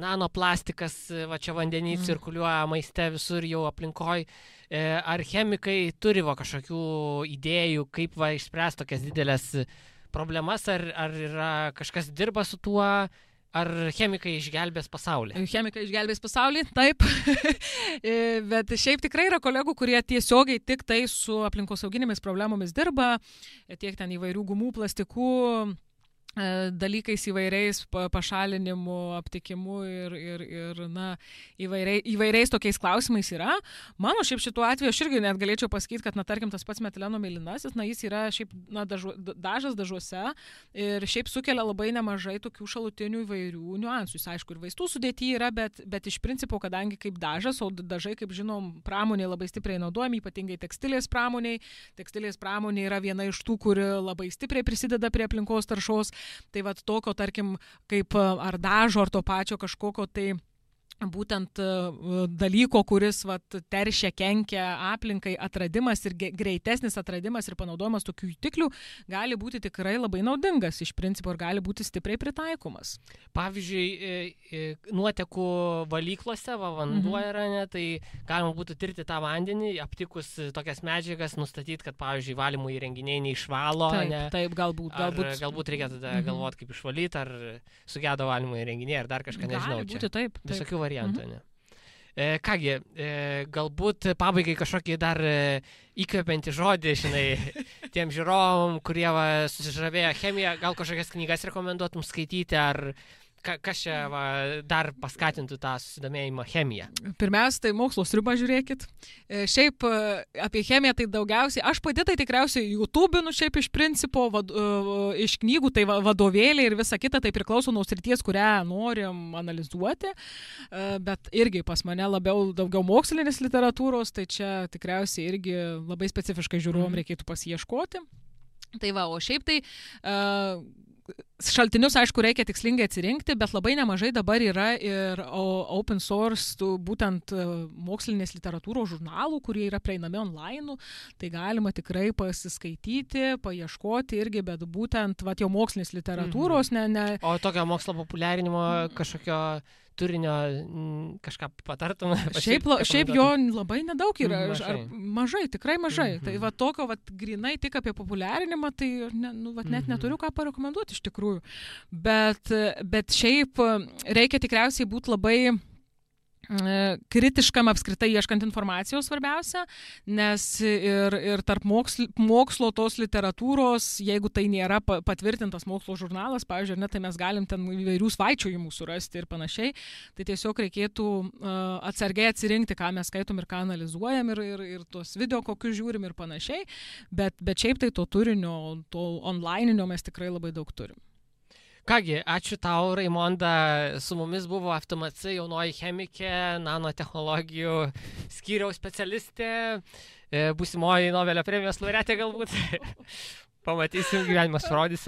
nanoplastikas, čia vandenį cirkuliuoja maiste visur jau aplinkoj. Ar chemikai turi kažkokių idėjų, kaip išspręsti tokias didelės problemas, ar yra kažkas dirba su tuo, ar chemikai išgelbės pasaulį? Chemikai išgelbės pasaulį, taip. Bet šiaip tikrai yra kolegų, kurie tiesiogiai tik tai su aplinkosauginėmis problemomis dirba, tiek ten įvairių gumų, plastikų, dalykais įvairiais pašalinimu, aptikimu ir įvairiais tokiais klausimais yra. Mano šiaip šituo atveju aš irgi net galėčiau pasakyti, kad, tarkim, tas pats metileno mėlynasis, jis yra šiaip dažas dažuose ir šiaip sukelia labai nemažai tokių šalutinių įvairių niuansų. Jis, aišku, ir vaistų sudėty yra, bet iš principo, kadangi kaip dažas, o dažai, kaip žinom, pramonėje labai stipriai naudojami, ypatingai tekstilės pramoniai. Tekstilės pramonė yra viena iš tų, kuri labai stipriai prisideda prie aplinkos taršos. Tai tokio, tarkim, kaip ar dažo, ar to pačio kažkokio, tai būtent dalyko, kuris teršia, kenkia aplinkai, atradimas ir greitesnis atradimas ir panaudojimas tokių jutiklių gali būti tikrai labai naudingas iš principo ir gali būti stipriai pritaikomas. Pavyzdžiui, nuotekų valyklose, vanduo yra, tai galima būtų tirti tą vandenį, aptikus tokias medžiagas, nustatyti, kad, pavyzdžiui, valymo įrenginiai neišvalo. Taip, galbūt. Galbūt reikia tada galvoti, kaip išvalyti, ar sugedo valymo įrenginiai, ar dar kažką, nežinau. Gali būti, taip. Visokių variantų, ne? Kągi, galbūt pabaigai kažkokį dar įkvepiantį žodį, tiem žiūrovom, kurie susižavėjo chemiją, gal kažkokias knygas rekomenduotum skaityti, ar kas čia dar paskatintų tą susidomėjimą chemiją? Pirmiausia, tai mokslo sriubą žiūrėkit. Šiaip apie chemiją tai daugiausiai, aš pati tai tikriausiai YouTube'inu šiaip iš principo, iš knygų, tai vadovėliai ir visa kita, tai priklauso nuo srities, kurią norim analizuoti, bet irgi pas mane daugiau mokslinės literatūros, tai čia tikriausiai irgi labai specifiškai žiūrovom reikėtų pasiieškoti. Tai o šiaip tai šaltinius, aišku, reikia tikslingai atsirinkti, bet labai nemažai dabar yra ir open source, būtent mokslinės literatūros žurnalų, kurie yra prieinami online, tai galima tikrai pasiskaityti, paieškoti irgi, bet būtent jau mokslinės literatūros, O tokio mokslo populiarinimo kažkokio turinio kažką patartum? Šiaip jo labai nedaug yra, mažai, tikrai mažai. Tai tokio grinai tik apie populiarinimą, tai net neturiu ką parekomenduoti iš tikrųjų. Bet šiaip reikia tikriausiai būti labai kritiškam apskritai ieškant informacijos svarbiausia, nes ir tarp mokslo tos literatūros, jeigu tai nėra patvirtintas mokslo žurnalas, pavyzdžiui, tai mes galim ten įvairių svaičiojimų surasti ir panašiai, tai tiesiog reikėtų atsargiai atsirinkti, ką mes skaitom ir ką analizuojam ir tos video kokius žiūrim ir panašiai, bet šiaip tai to turinio, to onlineinio mes tikrai labai daug turim. Kągi, ačiū tau, Raimonda, su mumis buvo FTMC jaunoji chemikė, nanotechnologijų skyriaus specialistė, būsimoji Nobelio premijos laureatė galbūt. Pamatysim, gyvenimas parodys.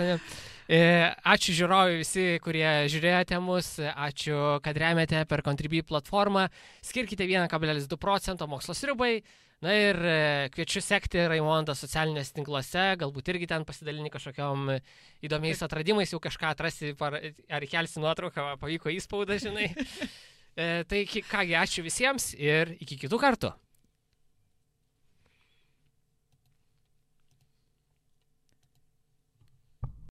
Ačiū žiūrovai visi, kurie žiūrėjote mus, ačiū, kad remiate per Contribui platformą, skirkite 1,2% mokslo sriubai. Na ir kviečiu sekti Raimondą socialinėse tinkluose, galbūt irgi ten pasidalinti kažkokiom įdomiais atradimais, jau kažką atrasi, ar kelsi nuotrauką, pavyko įspaudą, Tai kągi, ačiū visiems ir iki kitų kartų.